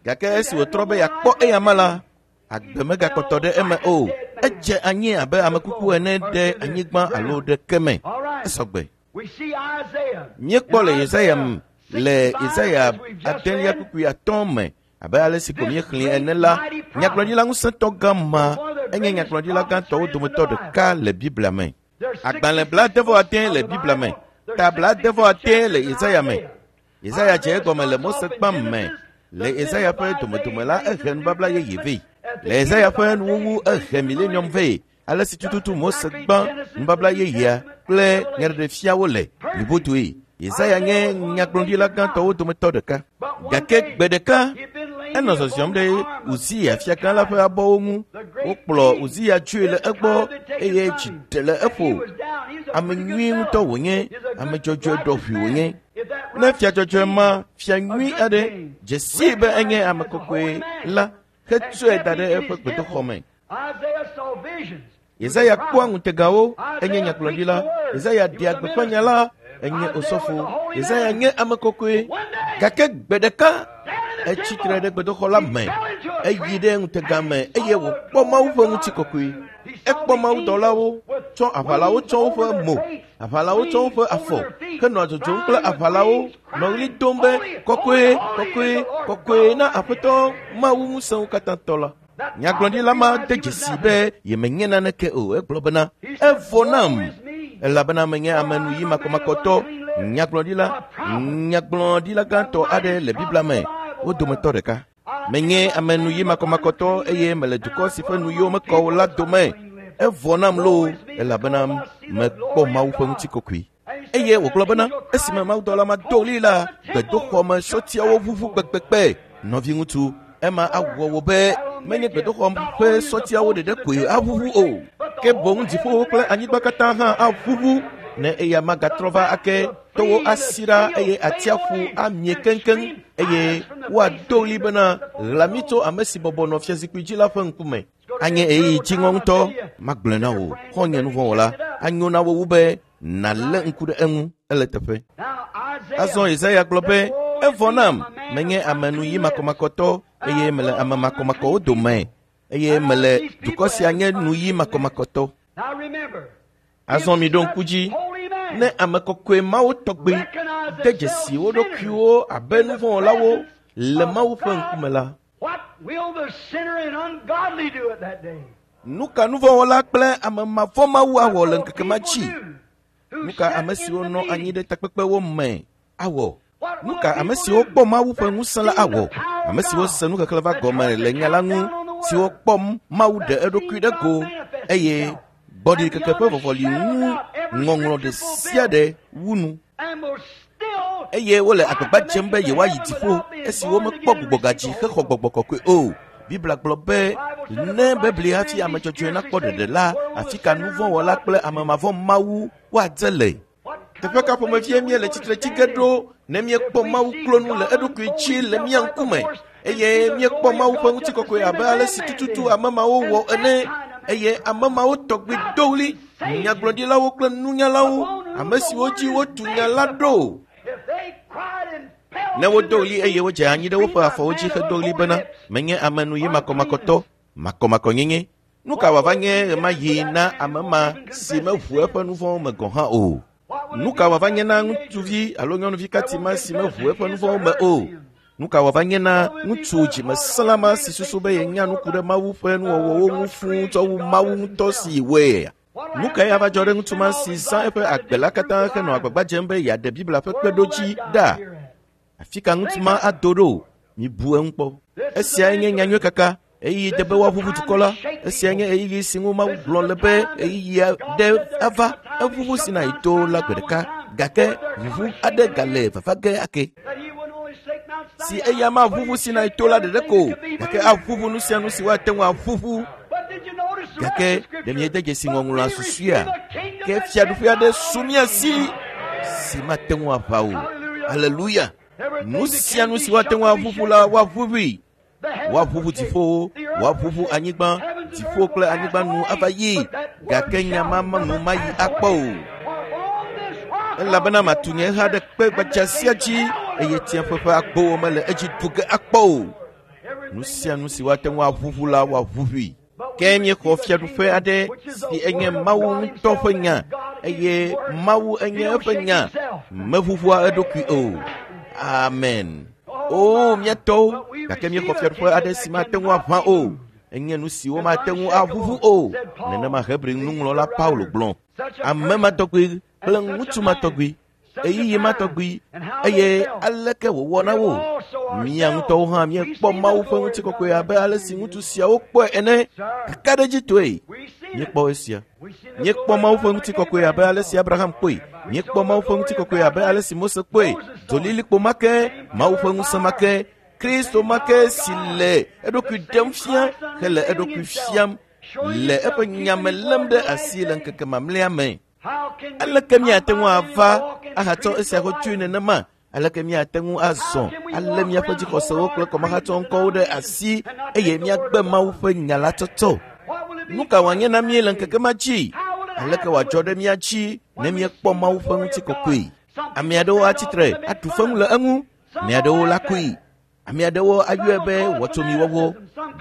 Gake esi wòtrɔ be yeakpɔ eyama la, agbe megakpɔtɔ ɖe eme o. Edze anyi abe ame kuku ene ɖe anyigba alo ɖe ke me. Esɔgbe. Míekpɔ le Yesaya me le Yesaya adelia kpukpui atɔ̃ me abe ale si ko míexlẽe ene la, nyagblɔɖila ŋusẽtɔ gã ma enye nyagblɔɖila gãtɔwo dometɔ ɖeka le Biblia me. Agbalẽ blaade-vɔ-ade le Biblia me, ta blaade-vɔ-ade le Yesaya me. Yesaya dze egɔme le Mose gbã me. Le Yesaya ƒe domedome la, ehe nubabla yeye vɛ. Le Yesaya ƒe nuwuwu ehe milenium vɛ. Ale si tututu Mose gbã nubabla yeyea kple nyaɖeɖefiawo le blibodoe. Yesaya nye nyagblɔɖila gãtɔwo dometɔ ɖeka. Gake gbe ɖeka enɔ zɔzɔm ɖe Uziya fiagã la ƒe abɔwo ŋu. Wokplɔ Uziya dzoe le egbɔ eye dzi ɖe le eƒo. Ame nyui ŋutɔ wònye, ame dzɔdzɔe ɖɔʋui wònye. Ne fia dzɔdzɔe ma, fia nyui aɖe, dze sii be enye ame kɔkɔe la, hetsɔe da ɖe eƒe gbedoxɔ me. Yesaya kpɔa ŋutegawo, enye nyagblɔɖila. Yesaya ɖea gbeƒã nya la, enye osɔfo. Yesaya nye ame kɔkɔe. Gake gbe ɖeka etsi tre ɖe gbedoxɔ la me, eyi ɖe ŋutega me eye wòkpɔ Mawu ƒe ŋutikɔkɔe. Ekpɔ mawudɔlawo tsɔ aʋalawo tsɔ woƒe mo, aʋalawo tsɔ woƒe afɔ henɔ dzodzom kple aʋalawo nɔ ɣli dom be kɔkɔe, kɔkɔe, kɔkɔe na Aƒetɔ Mawu ŋusẽwo katã tɔ la. Nyagblɔɖila ma de dzesi be yemenye naneke o. Egblɔ bena, evɔ nam, elabena menye ame nuyi makɔmakɔtɔ. Nyagblɔɖila, nyagblɔɖila gãtɔ aɖe le Biblia me, wo dometɔ ɖeka. Menye ame nuyi makɔmakɔtɔ eye mele dukɔ si ƒe nuyiwo mekɔ o la dome. Evɔ nam loo, elabena mekpɔ Mawu ƒe ŋutikɔkɔe. Eye wògblɔ bena, esime mawudɔla ma do ɣli la, gbedoxɔ me sɔtiawo ʋuʋu kpekpekpe. Nɔviŋutsu, ema awɔ wò be menye gbedoxɔ ƒe sɔtiawo ɖeɖe koe aʋuʋu o, ke boŋ dziƒowo kple anyigba katã hã aʋuʋu. Ne eya magatrɔ va ake, towo asi ɖa eye atsiaƒu amie keŋkeŋ, eye woado ɣli bena, ɣla mí tso ame si bɔbɔ nɔ fiazikpui dzi la ƒe ŋkume. Anye ɣeyiɣi dziŋɔ ŋutɔ, magblɔe na wò, xɔ̃nye nuvɔ̃wɔla, anyo na wò wu be nàlé ŋku ɖe eŋu, ele teƒe. Azɔ Yesaya gblɔ be, evɔ nam, menye ame nuyi makɔmakɔtɔ eye mele ame makɔmakɔwo dome, eye mele dukɔ sia nye nuyi makɔmakɔtɔ. Azɔ miɖo ŋku dzi, ne ame kɔkɔe mawo tɔgbe de dzesi wo ɖokuiwo abe nuvɔ̃wɔlawo le Mawu ƒe ŋkume la, nu ka nuvɔ̃wɔla kple ame mavɔ̃mawu awɔ le ŋkeke ma dzi? Nu ka ame siwo nɔ anyi ɖe takpekpewo me awɔ? Nu ka ame siwo kpɔ Mawu ƒe ŋusẽ la awɔ? Ame siwo se nuxexlẽ va gɔme le nya la ŋu, siwo kpɔ Mawu ɖe eɖokui ɖe go eye gbɔɖiɖikeke ƒe vɔvɔli ŋu ŋɔŋlɔ ɖe sia ɖe wu nu. Eye wole agbagba dzem be yewoayi dziƒo esi womekpɔ gbugbɔgadzi hexɔ gbɔgbɔ kɔkɔe o. Biblia gblɔ be ne bebli hafi ame dzɔdzɔe nakpɔ ɖeɖe la, afi ka nuvɔ̃wɔla kple ame mavɔ̃ Mawu woadze le? Teƒe ka ƒomevie míele tsitre tsi ge ɖo ne míekpɔ Mawu klo nu le eɖokui dzi le mía ŋkume eye míekpɔ Mawu ƒe ŋutikɔkɔe abe ale si tututu ame mawo wɔ ene eye ame mawo tɔgbi do ɣli, nyagblɔɖilawo kple nunyalawo, ame siwo dzi wotu nya la ɖo. Ne wodo ɣli eye wodze anyi ɖe woƒe afɔwo dzi hedo ɣli bena, menye ame nuyi makɔmakɔtɔ, makɔmakɔnyenye. Nu ka wòava nye ɣemaɣi na ame ma si meʋu eƒe nu vɔ̃wo me gɔ̃ hã o? Nu ka wòava nye na ŋutsuvi alo nyɔnuvi kati ma si meʋu eƒe nu vɔ̃wo me o? Nu ka wòava nye na ŋutsu dzimesẽla ma si susu be yenya nu ku ɖe Mawu ƒe nuwɔwɔwo ŋu fũu tsɔ wu Mawu ŋutɔ si wɔea? Nu kae ava dzɔ ɖe ŋutsu ma si zã eƒe agbe la katã henɔ agbagba dzem be yeaɖe Biblia ƒe kpeɖodzi ɖa? Afi ka ŋutsu ma ado ɖo? Mibu eŋu kpɔ. Esiae nye nyanyui kaka. Ɣeyiɣi de be woaʋuʋu dukɔ la. Esiae nye ɣeyiɣi si ŋu Mawu gblɔ le be ɣeyiɣi aɖe ava. Eʋuʋu Sinai to la gbe ɖeka, gake ʋuʋu aɖe gale vava ge ake. Si eya maʋuʋu Sinai to la ɖeɖe ko, gake aʋuʋu nu sia nu si woate ŋu aʋuʋu. Gake ɖe miede dzesi ŋɔŋlɔa susuea? Ke fiaɖuƒe aɖe su mía si si mate ŋu aʋa o. Aleluya! Nu sia nu si woate ŋu aʋuʋu la, woaʋuʋui. Woaʋuʋu dziƒowo, woaʋuʋu anyigba, dziƒo kple anyigba nu ava yi, gake nya ma nu mayi akpɔ o. Elabena matu nye ha ɖe kpe gbadza sia dzi eye tsiẽƒe ƒe agbowo mele edzi ɖu ge akpɔ o. Nu sia nu si woate ŋu aʋuʋu la, woaʋuʋui. Ke míexɔ fiaɖuƒe aɖe si enye Mawu ŋutɔ ƒe nya eye Mawu enye eƒe nya, meʋuʋua eɖokui o. Amen. O, mía tɔwo, gake míexɔ fiaɖuƒe aɖe si mate ŋu aʋã o. Enye nu si womate ŋu aʋuʋu o. Nenema Hebri nuŋlɔla Paulo gblɔ. Ame ma tɔgbi kple ŋutsu ma tɔgbi, ɣeyiɣi ma tɔgbi, eye aleke wòwɔ na wo? Mía ŋutɔwo hã míekpɔ Mawu ƒe ŋutikɔkɔe abe ale si ŋutsu siawo kpɔe ene. Kakaɖedzitɔe, míekpɔ esia. Míekpɔ Mawu ƒe ŋutikɔkɔe abe ale si Abraham kpɔe. Míekpɔ Mawu ƒe ŋutikɔkɔe abe ale si Mose kpɔe. Dzolilikpo ma ke, Mawu ƒe ŋusẽ ma ke, Kristo ma ke si le eɖokui ɖem fia hele eɖokui fiam le eƒe nyame lém ɖe asi le ŋkeke mamlɛa me. Aleke míate ŋu ava ahatsɔ esia xɔ tsoe nenema? Aleke míate ŋu azɔ alé míaƒe dzixɔsewo kple kɔmahatsɔ ŋkɔwo ɖe asi eye míagbe Mawu ƒe nya la tsɔtsɔ? Nu ka wòanye na mí le ŋkeke ma dzi? Aleke wòadzɔ ɖe mía dzi ne míekpɔ Mawu ƒe ŋutikɔkɔe? Ame aɖewo atsitre aɖu fewu le eŋu, ame aɖewo la koe, ame aɖewo ayɔe be wɔtsomiwɔwɔ,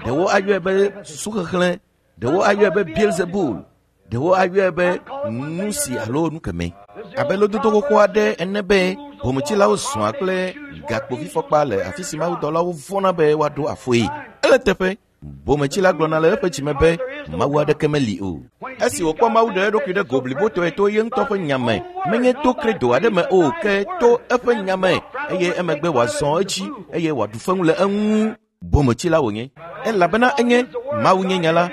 ɖewo ayɔe be susuxexlẽ, ɖewo ayɔe be Beelzebul, ɖewo ayɔe be nu si alo nu kemɛ. Abe lododo xoxo aɖe ene be bometsilawo zɔa kple gakpovifɔkpa le afi si mawudɔlawo vɔ̃na be woaɖo afɔe. Ele teƒe. Bometsila gblɔna le eƒe dzime be Mawu aɖeke meli o. Esi wòkpɔ Mawu ɖe eɖokui ɖe go blibotɔe to ye ŋutɔ ƒe nya me, menye to kredo aɖe me o, ke to eƒe nya me, eye emegbe wòazɔ edzi eye wòaɖu fewu le eŋu. Bometsila wònye. Elabena enye Mawu nye nya la.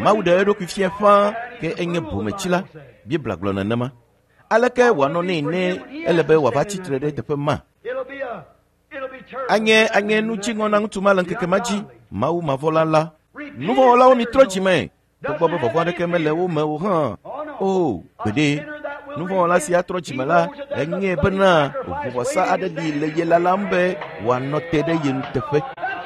Mawu ɖe eɖokui fia ƒãa, ke enye bometsila. Biblia gblɔ nenema. Aleke wòanɔ nɛ ne ele be wòava tsitre ɖe teƒe ma? Anye anye nu dziŋɔ na ŋutsu ma le ŋkeke ma dzi, Mawu mavɔla la. Nuvɔ̃wɔlawo mitrɔ dzi me, togbɔ be vɔvɔ̃ aɖeke mele wo me o hã. O, gbeɖe. Nuvɔ̃wɔla si atrɔ dzime la, enye bena ʋuvɔsa aɖe li le ye lalam be wòanɔ te ɖe ye nuteƒe.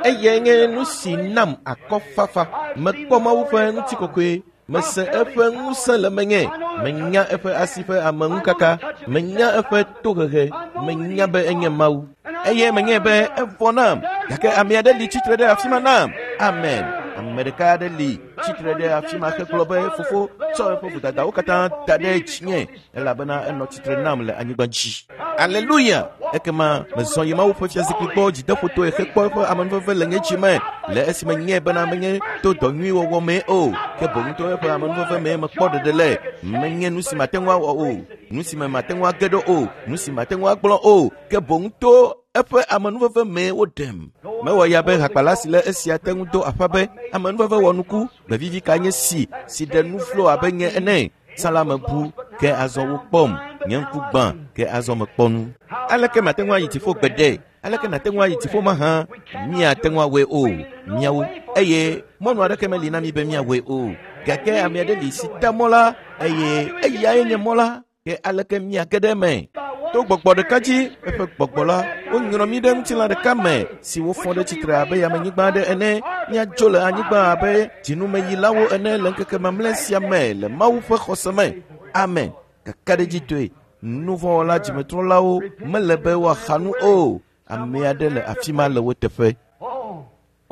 Eyae nye nu si nam akɔfafa. Mekpɔ Mawu ƒe ŋutikɔkɔe. Mese eƒe ŋusẽ le menye. Menya eƒe asi ƒe ameŋukaka. Menya eƒe tohehe. Menya be enye Mawu. Eye menye be evɔ nam. Gake ame aɖe li tsitre ɖe afi ma nam. Amen. Ame ɖeka aɖe li tsitre ɖe afi ma hegblɔ be, Fofo, tsɔ eƒe vodadawo katã da ɖe dzinye, elabena enɔ tsitre nam le anyigba dzi. Aleluya! Ekema mezɔ yi Mawu ƒe fiazikpui gbɔ dzideƒotɔe hekpɔ eƒe amenuveve le nye dzi me, le esime nyae bena menye to dɔ nyui wɔwɔ mee o, ke boŋ to eƒe amenuveve mee mekpɔ ɖeɖe le. Menye nu si mate ŋu awɔ o, nu si me mate ŋu age ɖo o, nu si mate ŋu agblɔ o, ke boŋ to eƒe amenuveve mee woɖem. Mewɔ ya be hakpala si le esia te ŋu do aƒa be, amenuveve wɔ nuku, gbevivi ka nye si, si ɖe nu vlo abe nye ene. Tsã la mebu, ke azɔ wokpɔm. Nye ŋku gbã, ke azɔ mekpɔ nu. Aleke mate ŋu ayi dziƒo gbeɖe? Aleke nàte ŋu ayi dziƒo mahã? Míate ŋu awɔe o, míawo. Eye mɔnu aɖeke meli na mí be míawɔe o. Gake ame aɖe li si ta mɔ la, eye eyae nye mɔ la. Ke aleke míage ɖe eme? To gbɔgbɔ ɖeka dzi, eƒe gbɔgbɔ la, wonyrɔ mí ɖe ŋutilã ɖeka me, si wofɔ ɖe tsitre abe yamenyigba aɖe ene. Míadzo le anyigba abe dzinumeyilawo ene le ŋkeke mamlɛ sia me le Mawu ƒe xɔse me. Amen. Kakaɖedzitɔe, nuvɔ̃wɔla dzimetrɔlawo mele be woaxa nu o. Ame aɖe le afi ma le wo teƒe.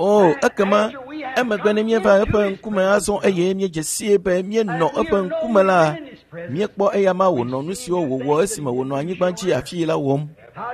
O, ekema emegbe ne míeva eƒe ŋkume azɔ eye míedze sie be míenɔ eƒe ŋkume la, míekpɔ eyama wònɔ nu siwo wòwɔ esime wònɔ anyigba dzi afii la wɔm.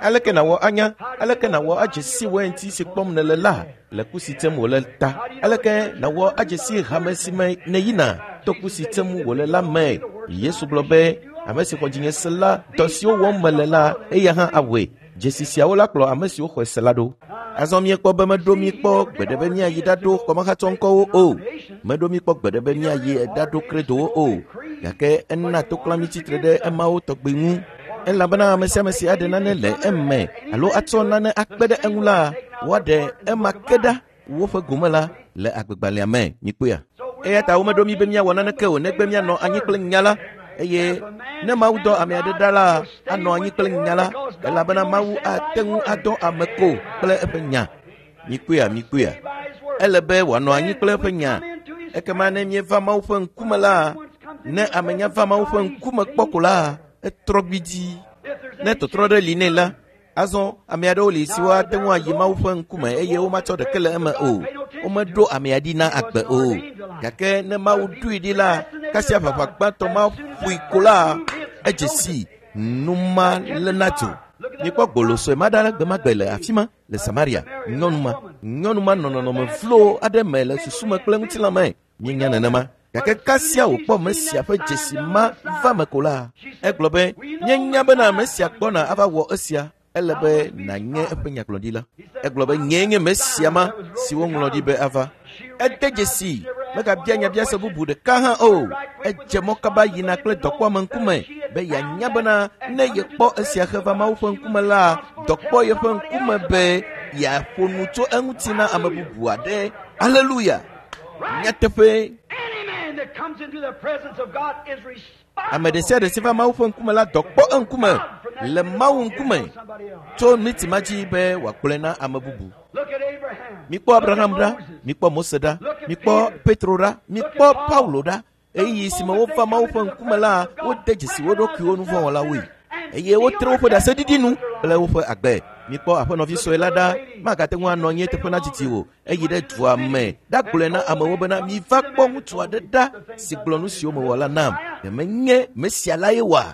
Aleke nàwɔ anya? Aleke nàwɔ adze si wainti si kpɔm nèle la le ku si tem wòle ta? Aleke nàwɔ adze si hame si me nèyina to ku si tem wòle la me? Yesu gblɔ be, ame si xɔ dzinye se la, dɔ siwo wɔm mele la, eya hã awɔe. Dzesi siawo la kplɔ ame siwo xɔe se la ɖo. Azɔ míekpɔ be meɖo mí kpɔ gbeɖe be míayi ɖaɖo xɔmexatsɔŋkɔwo o. Meɖo mí kpɔ gbeɖe be míayi ɖaɖo kredowo o. Gake ena toklã mí tsitre ɖe emawo tɔgbi ŋu. Elabena ame sia ame si aɖe nane le eme alo atsɔ nane akpe ɖe eŋu la, woaɖe ema ke ɖa woƒe gome la le agbegbalẽa me. Mikpɔea? Eya ta womeɖo mí be míawɔ naneke o negbe míanɔ anyi kple nya la. Eye ne Mawu dɔ ame aɖe ɖa la, anɔ anyi kple nya la, elabena Mawu ate ŋu adɔ ame ko kple eƒe nya. Mikpɔea, mikpɔea. Ele be wòanɔ anyi kple eƒe nya. Ekema ne míeva Mawu ƒe ŋkume la, ne ame nya va Mawu ƒe ŋkume kpɔ ko la, etrɔ gbidii. Ne tɔtrɔ ɖe li nɛ la, azɔ ame aɖewo li siwo ate ŋu ayi Mawu ƒe ŋkume eye womatsɔ ɖeke le eme o. Womeɖo amea ɖi na agbe o. Gake ne Mawu ɖoe ɖi la, kasia ʋaʋã gbãtɔ ma ƒoe ko la, edze sii nu ma léna dzo. Mikpɔ gbolo sue ma ɖa gbe ma gbe le afi ma le Samaria. Nyɔnu ma, nyɔnu ma nɔ nɔnɔme vlo aɖe me le susu me kple ŋutilã me. Míenya nenema. Gake kasia wòkpɔ Mesia ƒe dzesi ma va me ko la, egblɔ be, míenya bena Mesia gbɔna ava wɔ esia. Ele be nànye eƒe nyagblɔɖila. Egblɔ be, nyee nye Mesia ma si woŋlɔ ɖi be ava. Ede dzesi, megabia nyabiase bubu ɖeka hã o. Edze mɔ kaba yina kple dɔkpɔame ŋkume be yeanya bena ne yekpɔ esia heva Mawu ƒe ŋkume la, dɔkpɔ yeƒe ŋkume be yeaƒo nu tso eŋuti na ame bubu aɖe. Aleluya! Nyateƒe. Ame ɖe sia ɖe si va Mawu ƒe ŋkume la dɔ kpɔ eŋkume le Mawu ŋkume tso miti ma dzi be wòagblɔe na ame bubu. Mikpɔ Abraham ɖa, mikpɔ Mose ɖa, mikpɔ Petro ɖa, mikpɔ Paulo ɖa. Ɣeyiɣi si me wova Mawu ƒe ŋkume la, wode dzesi wo ɖokuiwo nuvɔ̃wɔlawoe eye wotre woƒe ɖaseɖiɖi nu kple woƒe agbe. Mikpɔ aƒenɔvi sue la ɖa, magate ŋu anɔ anyi eteƒe nadidi o. Eyi ɖe dua me ɖagblɔe na amewo bena, miva kpɔ ŋutsu aɖe ɖa si gblɔ nu siwo mewɔ la nam. Ɖe menye Mesia lae wɔa?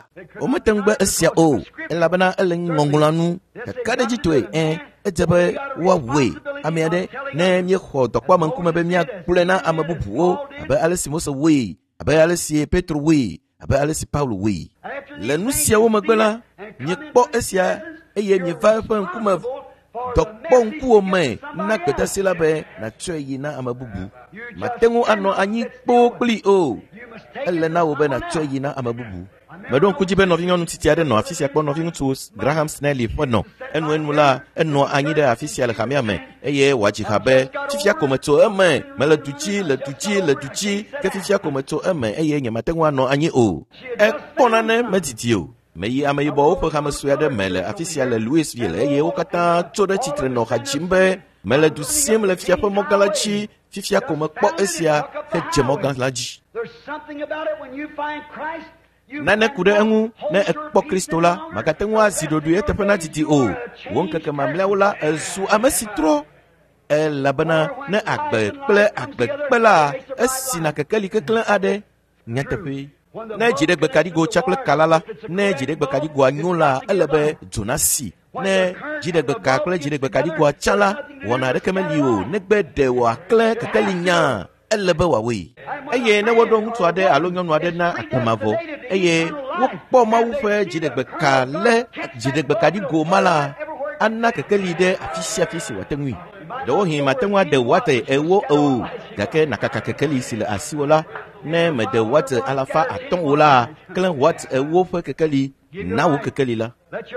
Womete ŋu gbe esia o, elabena ele ŋɔŋlɔa nu kakaɖedzitɔe. Ẽ, edze be woawɔe. Ame aɖe, ne míexɔ dɔkpɔame ŋkume be míagblɔe na ame bubuwo abe ale si Mose wɔe, abe ale si Petro wɔe, abe ale si Paulo wɔe. Le nu siawo megbe la, miekpɔ esia eye mieva eƒe ŋkume dɔkpɔ ŋkuwò me na gbedasi la be nàtsɔe yi na ame bubu. Mate ŋu anɔ anyi kpoo kplii o. Ele na wò be nàtsɔe yi na ame bubu. Meɖo ŋku dzi be nɔvinyɔnu tsitsi aɖe nɔ afi sia kpɔ nɔviŋutsu Graham Snelly ƒe nɔ. Enuenu la, enɔ anyi ɖe afi sia le hamea me eye wòadzi ha be, fifia ko metso eme, mele du dzi, le du dzi, le du dzi, ke fifia ko metso eme eye nyemate ŋu anɔ anyi o. Ekpɔ nane medidi o. Meyi ameyibɔwo ƒe hame sue aɖe me le afi sia le Louisville eye wo katã tso ɖe tsitre nɔ ha dzim be, mele du sim le fia ƒe mɔgã la dzi, fifia ko mekpɔ esia hedze mɔgã la dzi. Nane ku ɖe eŋu ne ekpɔ Kristo la, màgate ŋu azi ɖoɖoe eteƒe nadidi o. Wò ŋkeke mamlɛawo la, èzu ame si trɔ. Elabena ne agbe kple agbe kpe la, esina kekeli keklẽ aɖe. Nyateƒee. Ne dziɖegbekaɖigo tsa kple kala la, ne dziɖegbekaɖigoa nyo la, ele be dzo nasi. Ne dziɖegbeka kple dziɖegbekaɖigoa tsa la, wɔna aɖeke meli o, negbe ɖe wòaklẽ kekeli nyaa. Ele be wòawɔe. Eye ne woɖo ŋutsu aɖe alo nyɔnu aɖe na agbe mavɔ eye wokpɔ Mawu ƒe dziɖegbeka le dziɖegbekaɖigo ma la, ana kekeli ɖe afi sia afi si wòate ŋui. Ɖewohĩ mate ŋu ade wate ewo o, gake nàkaka kekeli si le asiwò la. Ne mede wate 500 o la, klẽ wate ewo ƒe kekeli na wò kekeli la.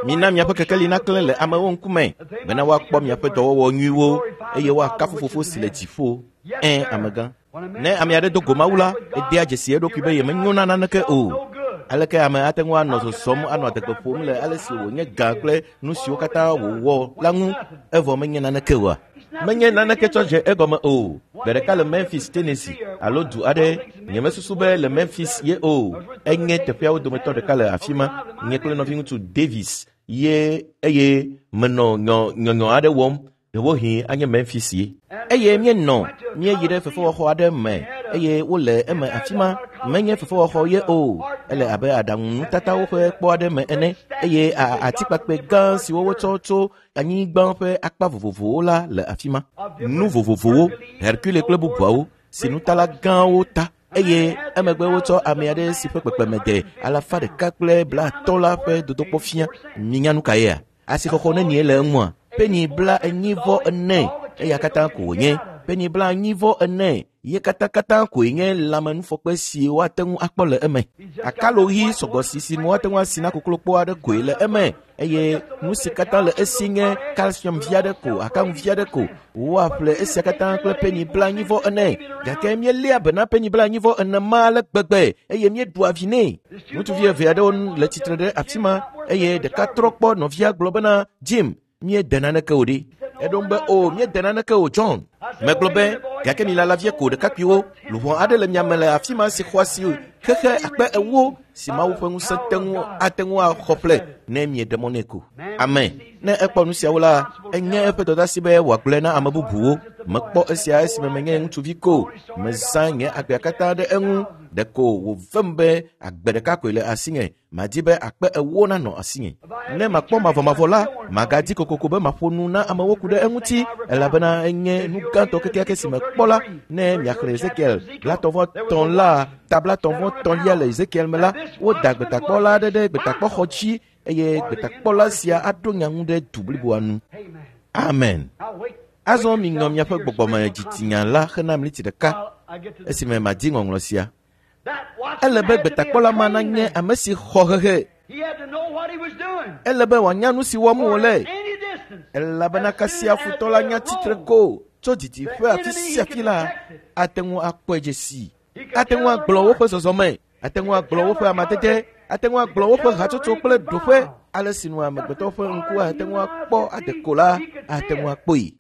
Mina miaƒe kekeli naklẽ le amewo ŋkume bena woakpɔ miaƒe dɔwɔwɔ nyuiwo eye woakafu Fofo si le dziƒo. Ẽ, amegã. Ne ame aɖe do go Mawu la, edea dzesi eɖokui be yemenyo na naneke o. Aleke ame ate ŋu anɔ zɔzɔm anɔ adegbe ƒom le ale si wònye gã kple nu siwo katã wòwɔ la ŋu evɔ menye naneke oa? Menye naneke tsɔ dze egɔme o. Gbe ɖeka le Memphis, Tennessee, alo du aɖe, nyemesusu be le Memphis ye o. Enye teƒeawo dometɔ ɖeka le afi ma. Nye kple nɔviŋutsu Davis ye eye menɔ nyɔnyɔ aɖe wɔm. Ɖewohĩ anye Memphis ye. Eye míenɔ, míeyi ɖe fefewɔxɔ aɖe me eye wole eme afi ma. Menye fefewɔxɔ ye o. Ele abe aɖaŋunutatawo ƒe kpɔ aɖe me ene eye atikpakpɛ gã siwo wotsɔ tso anyigba ƒe akpa vovovowo la le afi ma. Nu vovovowo, Hercule kple bubuawo, si nutala gãwo ta eye emegbe wotsɔ ame aɖe si ƒe kpekpeme de 150 la ƒe dodokpɔ fia. Minya nu ka yea? Asixɔxɔ nenie le eŋua? Peni 44. Eya katã ko wònye. Peni 44. Ye katãkatã koe nye lãmenufɔkpe si woate ŋu akpɔ le eme. Akalo ɣi sɔgbɔ si si nu woate ŋu asi na koklokpo aɖe koe le eme eye nu si katã le esi nye kalsium vi aɖe ko, akaŋu vi aɖe ko. Woaƒle esia katã kple peni 40 gake míeléa be na peni 44 ma ale gbegbe eye míeɖua vi nɛ. Ŋutsuvi eve aɖewo le tsitre ɖe afi ma eye ɖeka trɔ kpɔ nɔvia gblɔ bena, Jim, míede naneke o ɖe. Eɖo ŋu be, o, míede naneke o, John. Megblɔ be, gake milala vie ko ɖekakpuiwo, luʋɔ aɖe le mia me le afi ma si xɔ asi xexe 40,000 si Mawu ƒe ŋusẽ te ŋu ate ŋu axɔ ƒle ne mieɖe mɔ nɛ ko. Amen. Ne ekpɔ nu siawo la, enye eƒe dɔdeasi be wòagblɔe na ame bubuwo. Mekpɔ esia esime menye ŋutsuvi ko. Mezã nye agbea katã ɖe eŋu. Ɖeko wòvem be agbe ɖeka koe le asinye. Madi be 40,000 nanɔ asinye. Ne makpɔ mavɔmavɔ la, magadi kokoko be maƒo nu na amewo ku ɖe eŋuti, elabena enye nu gãtɔ kekeake si mekpɔ la. Ne miaxlẽ Ezekiel 33 la, ta 33 le Ezekiel me la, woda gbetakpɔla aɖe ɖe gbetakpɔxɔ dzi eye gbetakpɔla sia aɖo nya ŋu ɖe du bliboa nu. Amen. Azɔ miŋlɔ miaƒe gbɔgbɔme dzitsinya la hena mliti ɖeka esime madi ŋɔŋlɔ sia. Ele be gbetakpɔla ma nanye ame si xɔ hehe. Ele be wòanya nu si wɔm wòle, elabena kasia futɔ la nya tsitre ko tso didiƒe afi sia afi la, ate ŋu akpɔe dze sii. Ate ŋu agblɔ woƒe zɔzɔme, ate ŋu agblɔ woƒe amadede, ate ŋu agblɔ woƒe hatsotso kple ɖoƒe. Ale si nu amegbetɔ ƒe ŋku ate ŋu akpɔ ade ko la, ate ŋu akpɔe.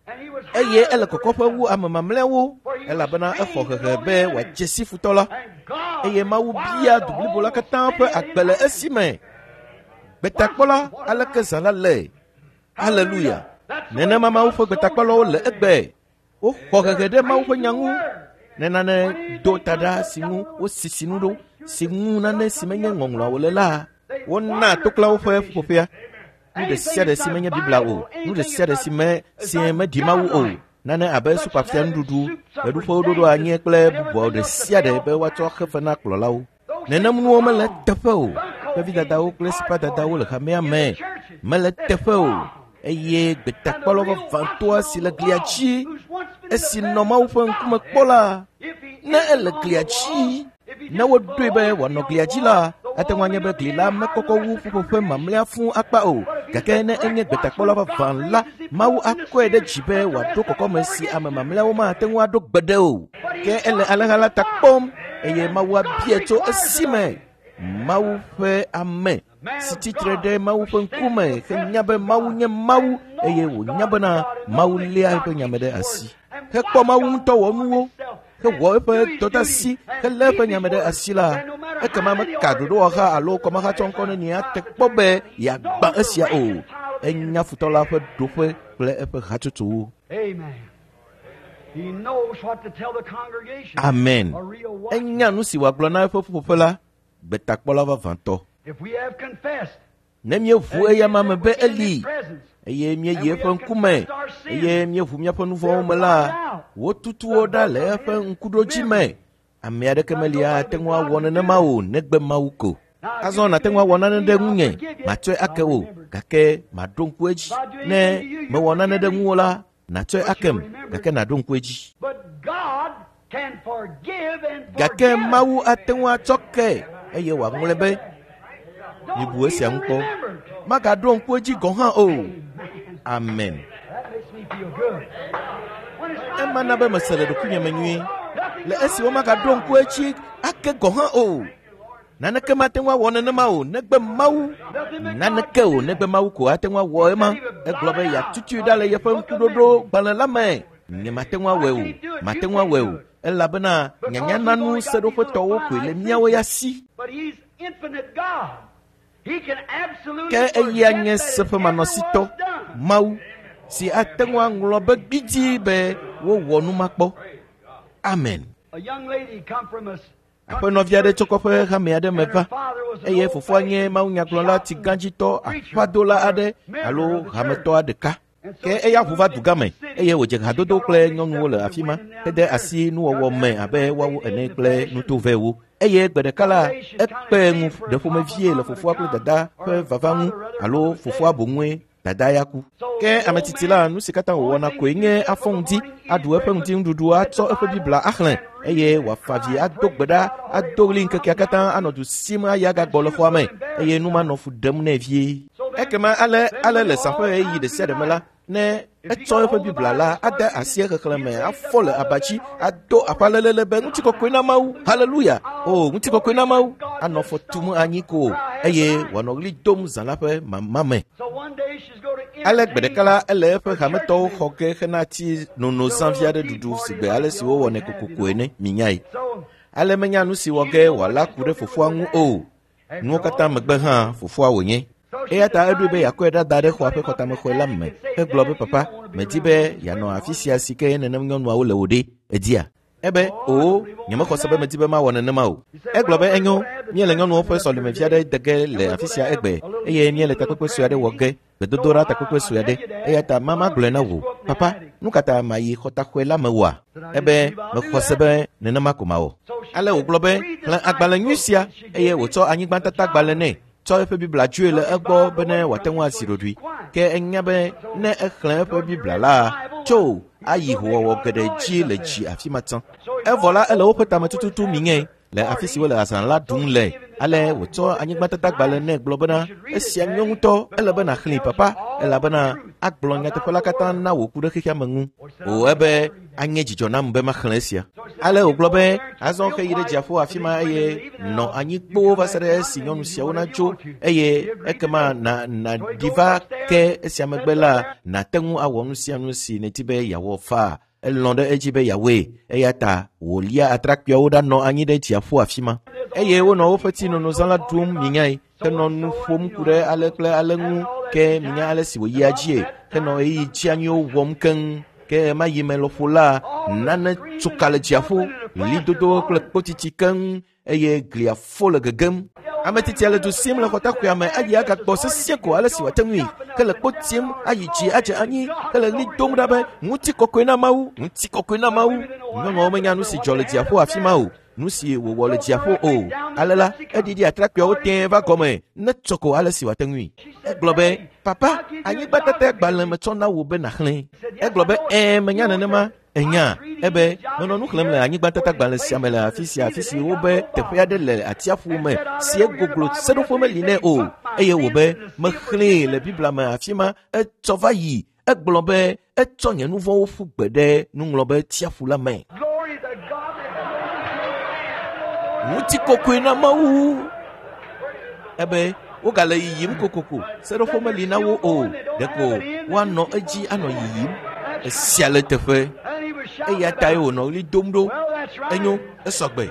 Eye ele kɔkɔƒe wu ame mamlɛawo, elabena exɔ hehe be wòadze si futɔ la. Eye Mawu bia du blibo la katã ƒe agbe le esime. Gbetakpɔla, aleke zã la le? Haleluya! Nenema Mawu ƒe gbetakpɔlawo le egbe. Woxɔ hehe ɖe Mawu ƒe nya ŋu. Ne nane do ta ɖa si ŋu wosisi nu ɖo, si ŋu nane si menye ŋɔŋlɔawo le la, wona toklawo ƒe ƒuƒoƒea. Nu ɖe sia ɖe si menye Biblia o, nu ɖe sia ɖe si me si meɖi Mawu o, nane abe supafia nuɖuɖu, ɣeɖuƒewo ɖoɖo anyi kple bubuawo ɖe sia ɖe be woatsɔ xe fe na kplɔlawo. Nenem nuwo mele teƒe o. Kpevidadawo kple sipadadawo le hamea me mele teƒe o. Eye gbetakpɔla vavãtɔa si le glia dzi, esi nɔ Mawu ƒe ŋkume kpɔ la, ne ele glia dzi, ne woɖoe be wòanɔ glia dzi la, ate ŋu anye be gli la mekɔkɔ wu ƒuƒoƒe mamlɛa fũu akpa o. Gake ne enye gbetakpɔla vavã la, Mawu akɔe ɖe dzi be wòaɖo kɔkɔme si ame mamlɛawo mate ŋu aɖo gbeɖe o. Ke ele alẽha la ta kpɔm eye Mawu abia tso esime Mawu ƒe ame si tsitre ɖe Mawu ƒe ŋkume henya be Mawu nye Mawu eye wònya bena Mawu léa eƒe nya me ɖe asi. Hekpɔ Mawu ŋutɔ wɔ nuwo, hewɔ eƒe dɔdeasi, helé eƒe nya me ɖe asi la, ekema meka ɖoɖowɔha alo kɔmahatsɔŋkɔ nenie ate kpɔ be yeagbã esia o. Enya futɔ la ƒe ɖoƒe kple eƒe hatsotsowo. Amen. Enya nu si wòagblɔ na eƒe ƒuƒoƒe la, gbetakpɔla vavãtɔ. Ne míeʋu eyama me be eli eye míeyi eƒe ŋkume eye míeʋu míaƒe nu vɔ̃wo me la, wotutu wo ɖa le eƒe ŋkuɖodzi me. Ame aɖeke meli ate ŋu awɔ nenema o negbe Mawu ko. Azɔ nàte ŋu awɔ nane ɖe ŋunye, matsɔe ake wò, gake maɖo ŋku edzi. Ne mewɔ nane ɖe ŋuwò la, nàtsɔe akem, gake nàɖo ŋku edzi. Gake Mawu ate ŋu atsɔ ke eye wòaŋlɔe be. Mibu esia ŋu kpɔ. Magaɖo ŋku edzi gɔ̃ hã o. Amen. Ema na be mese le ɖokuinye me nyuie. Le esi womagaɖo ŋku edzi ake gɔ̃ hã o. Naneke mate ŋu awɔ nenema o negbe Mawu. Naneke o negbe Mawu ko ate ŋu awɔ ema. Egblɔ be yeatutui ɖa le yeƒe ŋkuɖoɖo gbalẽ la me. Nye mate ŋu awɔe o. Mate ŋu awɔe o. Elabena nyanyananu seɖoƒetɔwo koe le míawo ya si. Ke eya nye seƒemanɔsitɔ, Mawu, si ate ŋu aŋlɔ be gbidii be wowɔ nu makpɔ. Amen. Aƒenɔvi aɖe tso kɔƒe hame aɖe me va eye fofoa nye mawunyagblɔla tsigãdzitɔ aƒadola aɖe alo hametɔ ɖeka. Ke eya ʋu va dugã me eye wòdze hadodo kple nyɔnuwo le afi ma hede asi nuwɔwɔ me abe woawo ene kple nutovɛwo. Eye gbe ɖeka la, ekpe ŋu ɖe ƒomevie le fofoa kple dada ƒe vava ŋu alo fofoa boŋue dada ya ku. Ke ame tsitsi la, nu si katã wòwɔna koe nye afɔ ŋdi, aɖu eƒe ŋdinuɖuɖu, atsɔ eƒe Biblia axlẽ. eye wòafa avi ado gbe ɖa ado ɣli ŋkekea katã anɔ du sim ayi agagbɔ le xɔa me eye nu manɔ fu ɖem nɛ vie. Ekema ale ale le zã ƒe ɣeyiɣi ɖe sia ɖe me la, ne etsɔ eƒe Biblia la ade asi exexlẽ me afɔ le abatsi ado aƒa lelele be ŋutikɔkɔe na Mawu, haleluya, o ŋutikɔkɔe na Mawu, anɔ fɔ tum anyi ko eye wòanɔ ɣli dom zã la ƒe mama me. Ale gbe ɖeka la ele eƒe hametɔwo xɔ ge hena ti nono zãvi aɖe ɖuɖu si gbe ale si wowɔnɛ kokoko ene minyae. Ale menya nu si wɔ ge wòala ku ɖe fofoa ŋu o. Nuwo katã megbe hã fofoa wònye. Eya ta eɖoe be yeakɔe ɖa da ɖe xɔa ƒe xɔtamexɔe la me hegblɔ be papa, medi be yeanɔ afi sia si ke nenem nyɔnuawo le wò ɖe, edia? Ebe, oo, nyemexɔ se be medi be mawɔ nenema o. Egblɔ be enyo, míele nyɔnuwo ƒe sɔlemevi aɖe de ge le afi sia egbe eye míele takpekpe sue aɖe wɔ ge, gbedodoɖa takpekpe sue aɖe. Eya ta mama gblɔe na wò, papa, nu ka ta mayi xɔtaxɔe la me oa? Ebe, mexɔ se be nenema ko mawɔ. Ale wògblɔ be, xlẽ agbalẽ nyui sia eye wòtsɔ anyigbatatagbalẽ nɛ. Tsɔ eƒe Biblia dzoe le egbɔ bene wòate ŋu asi ɖoɖoe. Ke enya be ne exlẽ eƒe Biblia la, tso ayi howɔwɔ geɖe dzi le dzi afi ma tsã. Evɔ la ele woƒe tame tututu miŋe le afi si wole azã la ɖum le. Ale wòtsɔ anyigbatatagbalẽ nɛ gblɔ bena esia nyo ŋutɔ, ele be nàxlẽe papa, elabena agblɔ nyateƒe la katã na wò ku ɖe xexea me ŋu. O ebe anye dzidzɔ nam be maxlẽ esia. Ale wògblɔ be azɔ xeyi ɖe dziaƒo afi ma eye nɔ anyi kpoo va se ɖe esi nyɔnu siawo natso eye ekema na nàɖi va ke esia megbe la nàte ŋu awɔ nu sia nu si nèdi be yeawɔ faa. Elɔ̃ ɖe edzi be yeawɔe eya ta wòlia atrakpuiawo ɖanɔ anyi ɖe dziaƒo afi ma. Eye wonɔ woƒe tsinonozã la ɖum minyae henɔ nu ƒom ku ɖe ale kple ale ŋu ke minya ale si wòyia dzie henɔ ɣeyiɣi dzianyiwo wɔm keŋ. Ke ɣemaɣi me lɔƒo la, nane tso ka le dziaƒo, ɣlidodo kple kpotiti keŋ eye glia fo le gegem. Ame titia le du sim le xɔtaxɔea me ayi agagbɔ sesĩe ko ale si wòate ŋui ke le kpo tim ayi dzi adze anyi hele ɣli dom ɖa be ŋutikɔkɔe na Mawu, ŋutikɔkɔe na Mawu. Nyɔnuawo menya nu si dzɔ le dziaƒo afi ma o, nu si wòwɔ le dziaƒo o. Ale la, eɖiɖi atrakpuiawo tẽe va gɔme ne tsɔ ko ale si wòate ŋui. Egblɔ be, papa, anyigbatata gbalẽ metsɔ na wò be nàxlẽe. Egblɔ be, ɛ̃, menya nenema. Enya, ebe menɔ nu xlẽm le anyigbatatagbalẽ sia me le afi sia afi si wobe teƒe aɖe le atsiaƒu me si egoglo seɖoƒe meli nɛ o eye wòbe mexlẽe le Biblia me afi ma etsɔ va yi. Egblɔ be etsɔ nye nu vɔ̃wo ƒu gbe ɖe nuŋlɔbe tsiaƒu la me. Ŋutikɔkɔe na Mawu. Ebe wogale yiyim kokoko, seɖoƒe meli na wo o, ɖeko woanɔ edzi anɔ yiyim. Esia le teƒe. Eya tae wònɔ ɣli dom ɖo. Enyo, esɔgbe.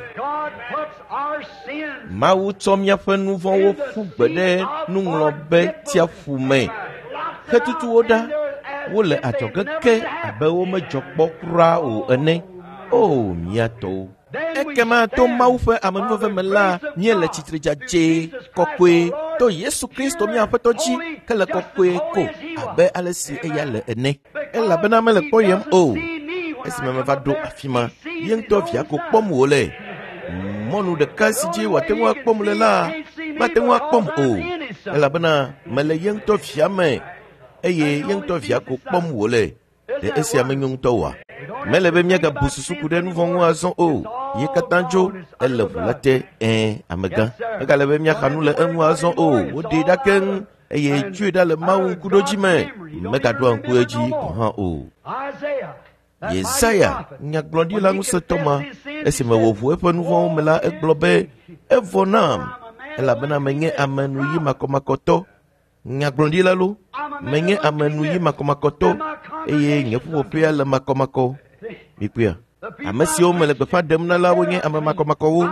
Mawu tsɔ míaƒe nu vɔ̃wo ƒu gbe ɖe nuŋlɔbe tsiaƒu me. Xetutu wo ɖa. Wole adzɔge ke abe womedzɔ kpɔ kura o ene. O, mía tɔwo. Ekema to Mawu ƒe amenuveve me la, míele tsitre dzadzɛ, kɔkɔe, to Yesu Kristo mía Aƒetɔ dzi, ke le kɔkɔe ko abe ale si eya le ene. Elabena mele kpɔyem o. Esime meva ɖo afi ma, ye ŋutɔ via ko kpɔm wòle. Mɔnu ɖeka si dzi wòate ŋu akpɔm le la, mate ŋu akpɔm o, elabena mele ye ŋutɔ via me eye ye ŋutɔ via ko kpɔm wòle. Ɖe esia menyo ŋutɔ oa? Mele be míagabu susu ku ɖe nu vɔ̃ ŋu azɔ o. Ye katã dzo, ele ʋu la te, ɛ̃, amegã. Megale be míaxa nu le eŋu azɔ o. Woɖee ɖa keŋ eye tsoe ɖa le Mawu ŋkuɖodzi me. Megaɖoa ŋku edzi gɔ̃ hã o. Yesaya, nyagblɔɖila ŋusẽtɔ ma, esime wòʋu eƒe nu vɔ̃wo me la, egblɔ be, evɔ nam, elabena menye ame nuyi makɔmakɔtɔ. Nyagblɔɖila lo, menye ame nuyi makɔmakɔtɔ eye nye ƒuƒoƒea le makɔmakɔ. Mikpɔea? Ame siwo mele gbeƒã ɖem na la wonye ame makɔmakɔwo.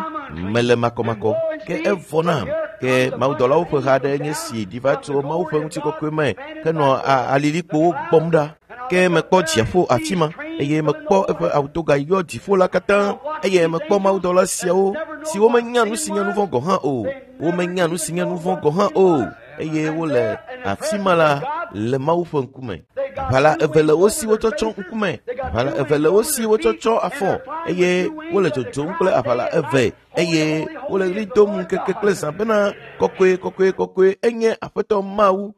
Mele makɔmakɔ. Ke evɔ nam. Ke mawudɔlawo ƒe ha aɖe nye si ɖi va tso Mawu ƒe ŋutikɔkɔe me henɔ alilikpowo gbɔm ɖa. Ke mekpɔ dziaƒo afi ma eye mekpɔ eƒe awutoga yɔ dziƒo la katã eye mekpɔ mawudɔla siawo siwo menya nu si nye nu vɔ̃ gɔ̃ hã o. Womenya nu si nye nu vɔ̃ gɔ̃ hã o eye wole afi ma la le Mawu ƒe ŋkume. Aʋala eve le wo si wotsɔ tsɔ ŋkume, aʋala eve le wo si wotsɔ tsɔ afɔ eye wole dzodzom kple aʋala eve eye wole ɣli dom ŋkeke kple zã bena kɔkɔe, kɔkɔe, kɔkɔe enye Aƒetɔ Mawu.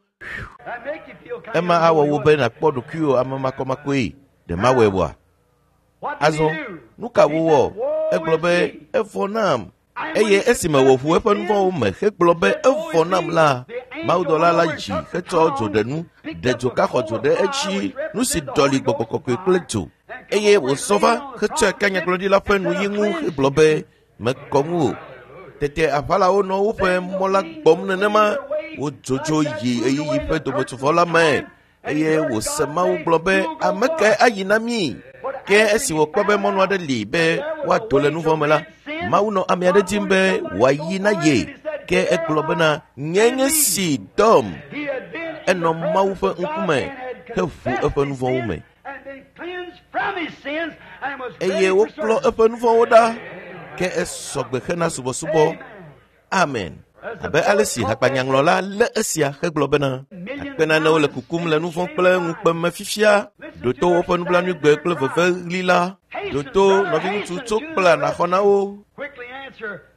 Ema awɔ wò be nàkpɔ ɖokuiwò ame makɔmakɔe. Ɖe mawɔe oa? Azɔ, nu ka wòwɔ? Egblɔ be, evɔ nam. Eye esime wòʋu eƒe nuvɔ̃wo me hegblɔ be evɔ nam la, mawudɔla la yi hetsɔ dzoɖenu ɖe dzoka xɔ dzo ɖe edzi, nu si ɖɔli gbɔgbɔ kɔkɔe kple dzo. Eye wòzɔ va hetsɔe ka nyagblɔɖila ƒe nuyi ŋu hegblɔ be, mekɔ ŋu o. Tete aʋalawo nɔ woƒe mɔ la gbɔm nenema, wodzodzo yi ɣeyiɣi ƒe dometsovɔ la me. Eye wòse Mawu gblɔ be, ame kae ayi na mí? Ke esi wòkpɔ be mɔnu aɖe li be woado le nuvɔ̃ me la, Mawu nɔ ame aɖe dim be wòayi na ye. Ke egblɔ bena, nye nye si dɔm. Enɔ Mawu ƒe ŋkume heʋu eƒe nuvɔ̃wo me. Eye woklɔ eƒe nuvɔ̃wo ɖa. Ke esɔgbe hena subɔsubɔ. Amen. Abe ale si hakpanyaŋlɔla lé esia hegblɔ bena, akpe nanewo le kukum le nuvɔ̃ kple ŋukpe me fifia, ɖo to woƒe nublanuigbe kple veveɣli la, ɖo to nɔviŋutsu tso kpla nàxɔ na wo.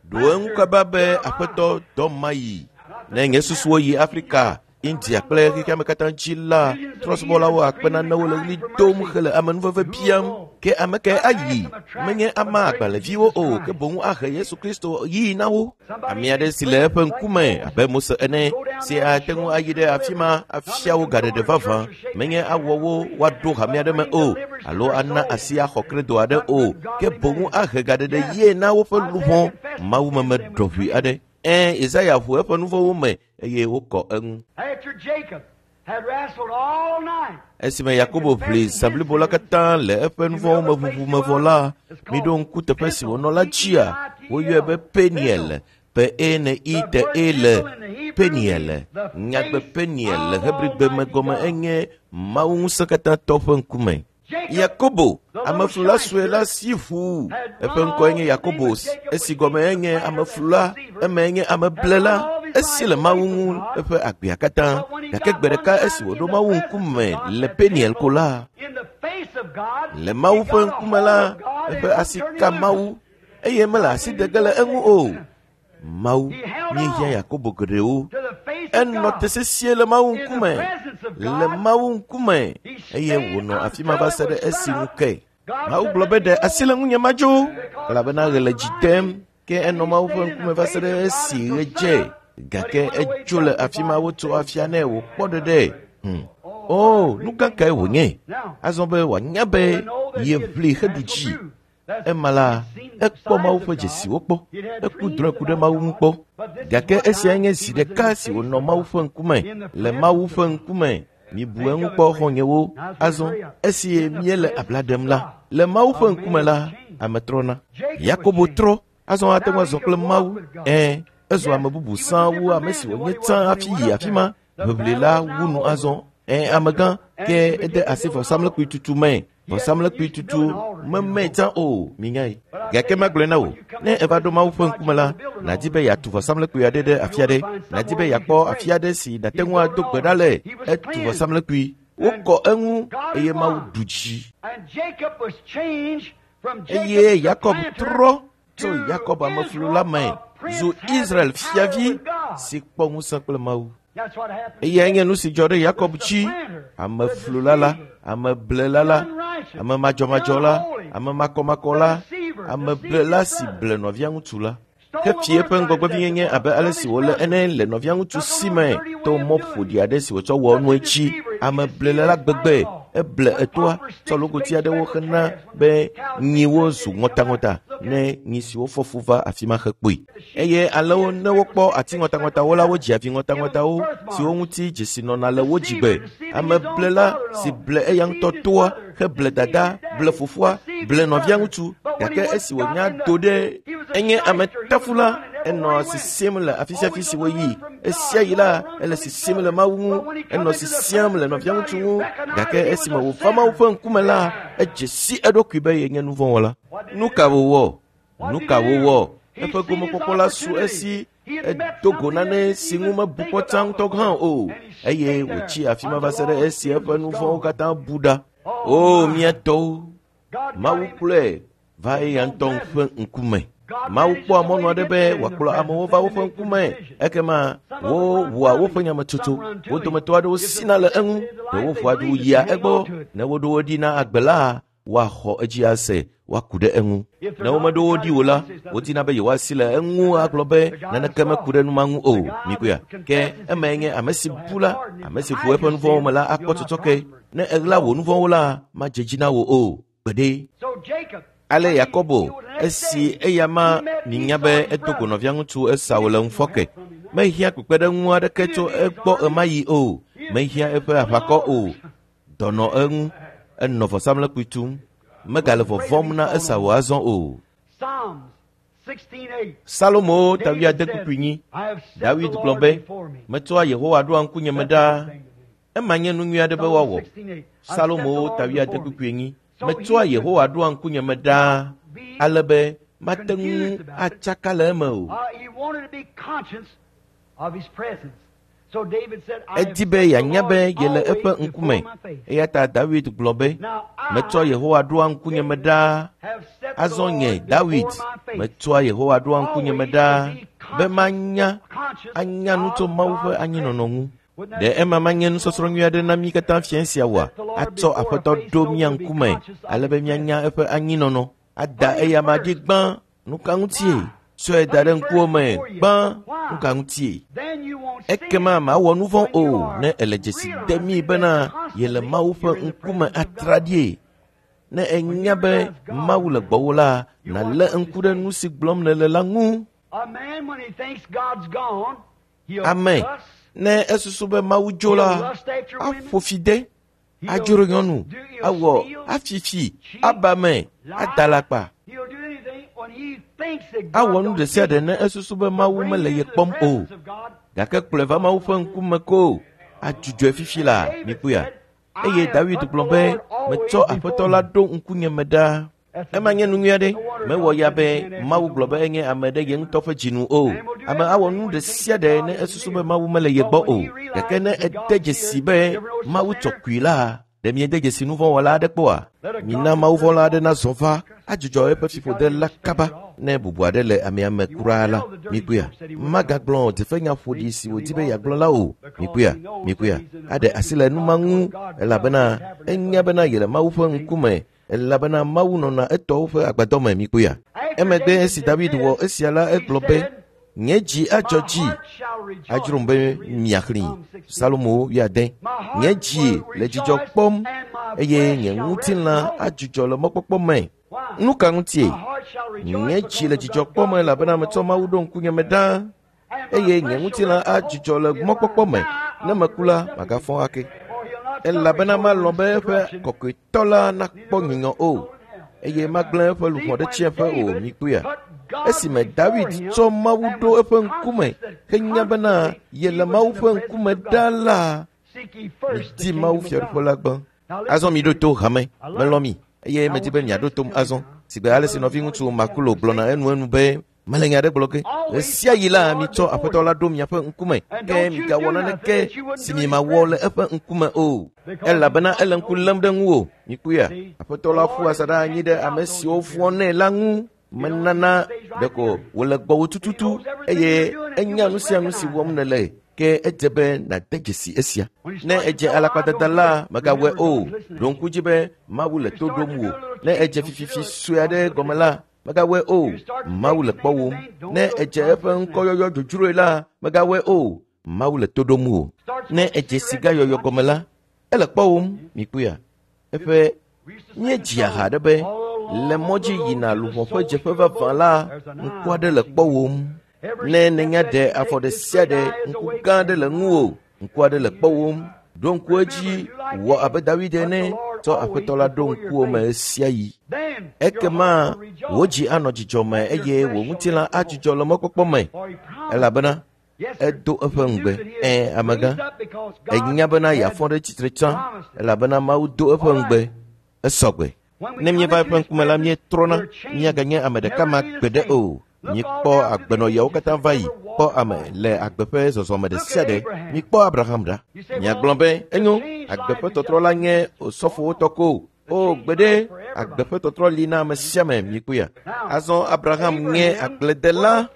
Ɖo eŋu kaba be aƒetɔ dɔ mayi. Ne nye susuwo yi Afrika, India kple xexeame katã dzi la, trɔ̃subɔlawo akpe nanewo le ɣli dom hele amenuveve biam. Ke ame kae ayi? Menye ama agbalẽviwo o, ke boŋ ahe Yesu Kristo yii na wo. Ame aɖe si le eƒe ŋkume abe Mose ene, si ate ŋu ayi ɖe afi ma afia wo gaɖeɖe vavã, menye awɔ wo woaɖo hame aɖe me o, alo ana asi axɔ kredo aɖe o, ke boŋ ahe gaɖeɖe yie na woƒe luʋɔ mawumeme ɖɔʋui aɖe. Ẽ, Yesaya ʋu eƒe nuvɔ̃wo me eye wokɔ eŋu. Esime Yakobo ʋli zã blibo la katã le eƒe nuvɔ̃wo me ʋuʋu me vɔ la, miɖo ŋku teƒe si wònɔ la dzia, woyɔe be Peniel, P-E-N-I-T-E-L, Peniel. Nyagbe Peniel le Hebrigbe me gɔme enye Mawu ŋusẽkatãtɔ ƒe ŋkume. Yakobo, ameflula sue la si ʋu. Eƒe ŋkɔe nye Yakobo, esi gɔme enye ameflula, eme nye ameblela. Esi le Mawu ŋu eƒe agbea katã. Gake gbe ɖeka esi wòɖo Mawu ŋkume le Peniel ko la, le Mawu ƒe ŋkume la, eƒe asi ka Mawu eye mele asi de ge le eŋu o. Mawu, míehiã Yakobo geɖewo. Enɔ te sesĩe le Mawu ŋkume, le Mawu ŋkume, eye wònɔ afi ma va se ɖe esi ŋu ke. Mawu gblɔ be ɖe asi le ŋunye madzo, elabena ɣe le dzi dem. Ke enɔ Mawu ƒe ŋkume va se ɖe esi ɣe dze. Gake etso le afi ma wotso afia nɛ wòkpɔ ɖeɖe. O, nu gã kae wònye? Azɔ be wòanya be yeʋli heɖu dzi. Ema la, ekpɔ Mawu ƒe dzesiwo kpɔ, eku drɔ̃e ku ɖe Mawu ŋu kpɔ. Gake esia nye zi ɖeka si wònɔ Mawu ƒe ŋkume, le Mawu ƒe ŋkume. Mibu eŋu kpɔ xɔ̃nyewo. Azɔ, esi míele abla ɖem la, le Mawu ƒe ŋkume la, ame trɔna. Yakobo trɔ, azɔ ate ŋu azɔ kple Mawu. Ẽ, ezu ame bubu sã wu ame si wònye tsã hafi yi afi ma. Ʋeʋli la wu nu azɔ. Ẽ, amegã, ke ede asi vɔsamlekpui tutu me. Vɔsamlekpui tutu memee tsã o, minyae. Gake magblɔe na wò, ne eva ɖo Mawu ƒe ŋkume la, nàdi be yeatu vɔsamlekpui aɖe ɖe afi aɖe. Nàdi be yeakpɔ afi aɖe si nàte ŋu ado gbe ɖa le. Etu vɔsamlekpui. Wokɔ eŋu eye Mawu ɖu dzi. Eye Yakob trɔ tso Yakob ameflu la me zu Israel fiavi si kpɔ ŋusẽ kple Mawu. Eyae nye nu si dzɔ ɖe Yakob dzi, ameflula la, ameblela la, ame madzɔmadzɔ la, ame makɔmakɔ la, ameblela si ble nɔvia ŋutsu la. Hefi eƒe ŋgɔgbevinyenye abe ale si wòle ene le nɔvia ŋutsu si me to mɔ ƒoɖi aɖe si wòtsɔ wɔ nue dzi. Ameblela la gbegbe, eble etoa, tsɔ logoti aɖewo hena be nyiwo zu ŋɔtaŋɔta ne nyi siwo fɔ fu va afi ma hekpɔe. Eye alẽwo ne wokpɔ ati ŋɔtaŋɔtawo la, wodzia vi ŋɔtaŋɔtawo siwo ŋuti dzesi nɔna le wo dzigbe. Ameblela si ble eya ŋutɔ toa, heble dada, ble fofoa, ble nɔvia ŋutsu, gake esi wònya do ɖe enye ametafula, enɔ sisim le afi sia afi si woyi. Esia yi la, ele sisim le Mawu ŋu, enɔ sisiam le nɔvia ŋutsu ŋu, gake esime wòva Mawu ƒe ŋkume la, edze si eɖokui be yenye nuvɔ̃wɔla. Nu ka wòwɔ? Nu ka wòwɔ? Eƒe gomekpɔkpɔ la su esi edo go nane si ŋu mebu kpɔ tsã ŋutɔ hã o, eye wòtsi afi ma va se ɖe esi eƒe nu vɔ̃wo katã bu ɖa. O, mía tɔwo, Mawu kplɔe va eya ŋutɔ ƒe ŋkume. Mawu kpɔa mɔnu aɖe be wòakplɔ amewo va woƒe ŋkume, ekema wowɔa woƒe nyametsotso. Wo dometɔ aɖewo sina le eŋu, ɖewo ƒoa du yia egbɔ. Ne woɖo wo ɖi na agbe la, Woaxɔ edzi ase, woaku ɖe eŋu. Ne womeɖo wo ɖi o la, wodina be yewoasi le eŋu agblɔ be naneke meku ɖe nu ma ŋu o. Mikpɔea? Ke emae nye ame si bu la, ame si ʋu eƒe nu vɔ̃wo me la akpɔ tsɔtsɔke. Ne èɣla wò nu vɔ̃wo la, madze dzi na wò o. Gbeɖe. Ale Yakobo, esi eya ma minya be edo go nɔvia ŋutsu Esau le ŋufɔke, mehiã kpekpeɖeŋu aɖeke tso egbɔ ɣemaɣi o. Mehiã eƒe aʋakɔ o. Dɔ nɔ eŋu. Enɔ vɔsamlekpui tum. Megale vɔvɔ̃m na Esau azɔ o. Salomo ta wuiade kpukpui nyi. Dawid gblɔ be, Metsɔa Yehowa ɖoa ŋkunye me ɖaa. Ema nye nu nyui aɖe be woawɔ. Salomo ta wuiade kpukpui enyi. Metsɔa Yehowa ɖoa ŋkunye me ɖaa ale be mate ŋu atsaka le eme o. Edi be yeanya be yele eƒe ŋkume. Eya ta Dawid gblɔ be, Metsɔ Yehowa ɖoa ŋkunye me ɖaa. Azɔ nye, Dawid, metsɔa Yehowa ɖoa ŋkunye me ɖaa be manya anya nu tso Mawu ƒe anyinɔnɔ ŋu. Ɖe ema manye nusɔsrɔ̃ nyui aɖe na mí katã fiẽ sia oa? Atsɔ Aƒetɔ ɖo mía ŋkume ale be míanya eƒe anyinɔnɔ. Ada eyama dzi gbã. Nu ka ŋutie? Tsɔe da ɖe ŋkuwò me gbã. Nu ka ŋutie? Ekema màwɔ nu vɔ̃ o ne èle dzesi demii bena yele Mawu ƒe ŋkume atraɖie. Ne ènya be Mawu le gbɔwò la, nàlé ŋku ɖe nu si gblɔm nèle la ŋu. Ame, ne esusu be Mawu dzo la, aƒo fi de, adzro nyɔnu, awɔ afifi, aba me, ada alakpa. Awɔ nu ɖe sia ɖe ne esusu be Mawu mele ye kpɔm o. Gake kplɔe va Mawu ƒe ŋkume ko, adzudzɔe fifi la, mikpɔea? Eye Dawid gblɔ be, Metsɔ Aƒetɔ la ɖo ŋkunye me ɖaa. Ema nye nu nyui aɖe. Mewɔ ya be Mawu gblɔ be enye ame ɖe ye ŋutɔ ƒe dzinu o. Ame awɔ nu ɖe sia ɖe ne esusu be Mawu mele ye gbɔ o. Gake ne ede dzesi be Mawu tsɔ kui la, ɖe miede dzesi nuvɔ̃wɔla aɖe kpɔa? Mina mawuvɔ̃la aɖe nazɔ va adzudzɔ eƒe fiƒode la kaba ne bubu aɖe le amea me kura la. Mikpɔea? Magagblɔ dzefenya ƒoɖi si wòdi be yeagblɔ la o. Mikpɔea? Mikpɔea? Aɖe asi le nu ma ŋu elabena enya bena yele Mawu ƒe ŋkume elabena Mawu nɔna etɔwo ƒe agbadɔ me. Mikpɔea? Emegbe esi Dawid wɔ esia la, egblɔ be, Nye dzi adzɔ dzi adzrom be miaxlẽe. Salomo wuiade. Nye dzi le dzidzɔ kpɔm eye nye ŋutilã adzudzɔ le mɔkpɔkpɔ me. Nu ka ŋutie? Nye dzi le dzidzɔ kpɔm elabena metsɔ Mawu ɖo ŋkunye me ɖaa eye nye ŋutilã adzudzɔ le mɔkpɔkpɔ me. Ne meku la, magafɔ ake. Elabena malɔ̃ be eƒe kɔkɔetɔ la nakpɔ nyunyɔ o eye magblẽ eƒe luʋɔ ɖe tsiẽƒe o. Mikpɔea? Esime Dawid tsɔ Mawu ɖo eƒe ŋkume henya bena yele Mawu ƒe ŋkume ɖaa la, midi Mawu fiaɖuƒe la gbã. Azɔ miɖo to hame, melɔ̃ mi eye medi be miaɖo tom azɔ. Sigbe ale si nɔviŋutsu Makulo gblɔna enuenu be, Mele nya aɖe gblɔ ge. Ɣesiaɣi la, mitsɔ Aƒetɔ la ɖo miaƒe ŋkume, ke migawɔ naneke si miemawɔ le eƒe ŋkume o. Elabena ele ŋku lém ɖe ŋuwò. Mikpɔea? Aƒetɔ la ƒua asaɖa anyi ɖe ame siwo vɔ̃nɛ la ŋu. Menana ɖeko wòle gbɔwò tututu eye enya nu sia nu si wɔm nèle. Ke edze be nàde dzesi esia. Ne edze alakpadada la, mègawɔe o. Ɖo ŋku dzi be Mawu le to ɖom wò. Ne edze fififi sue aɖe gɔme la, mègawɔe o. Mawu le kpɔwòm. Ne edze eƒe ŋkɔyɔyɔ dzodzroe la, mègawɔe o. Mawu le to ɖom wò. Ne edze sigayɔyɔ gɔme la, ele kpɔwòm. Mikpɔea? Eƒe míedzia ha aɖe be le mɔ dzi yina luʋɔ ƒe dzeƒe vavã la, ŋku aɖe le kpɔwòm. Ne nènya ɖe afɔ ɖe sia ɖe, ŋku gã aɖe le ŋuwò. Ŋku aɖe le kpɔwòm. Ɖo ŋku edzi, wɔ abe Dawid ene, tsɔ Aƒetɔ la ɖo ŋkuwò me ɣesiaɣi. Ekema wò dzi anɔ dzidzɔ me eye wò ŋutilã adzudzɔ le mɔkpɔkpɔ me, elabena edo eƒe ŋugbe. Ẽ, amegã, ènya bena yeafɔ ɖe tsitre tsã, elabena Mawu do eƒe ŋugbe. Esɔgbe. Ne míeva eƒe ŋkume la, míetrɔna, míaganye ame ɖeka ma gbeɖe o. Míekpɔ agbenɔɣiawo katã va yi, kpɔ ame le agbe ƒe zɔzɔme ɖe sia ɖe. Mikpɔ Abraham ɖa. Miagblɔ be, enyo, agbe ƒe tɔtrɔ la nye osɔfowo tɔ ko. O, gbeɖe, agbe ƒe tɔtrɔ li na ame sia ame, mikpɔea. Azɔ Abraham nye agbledela,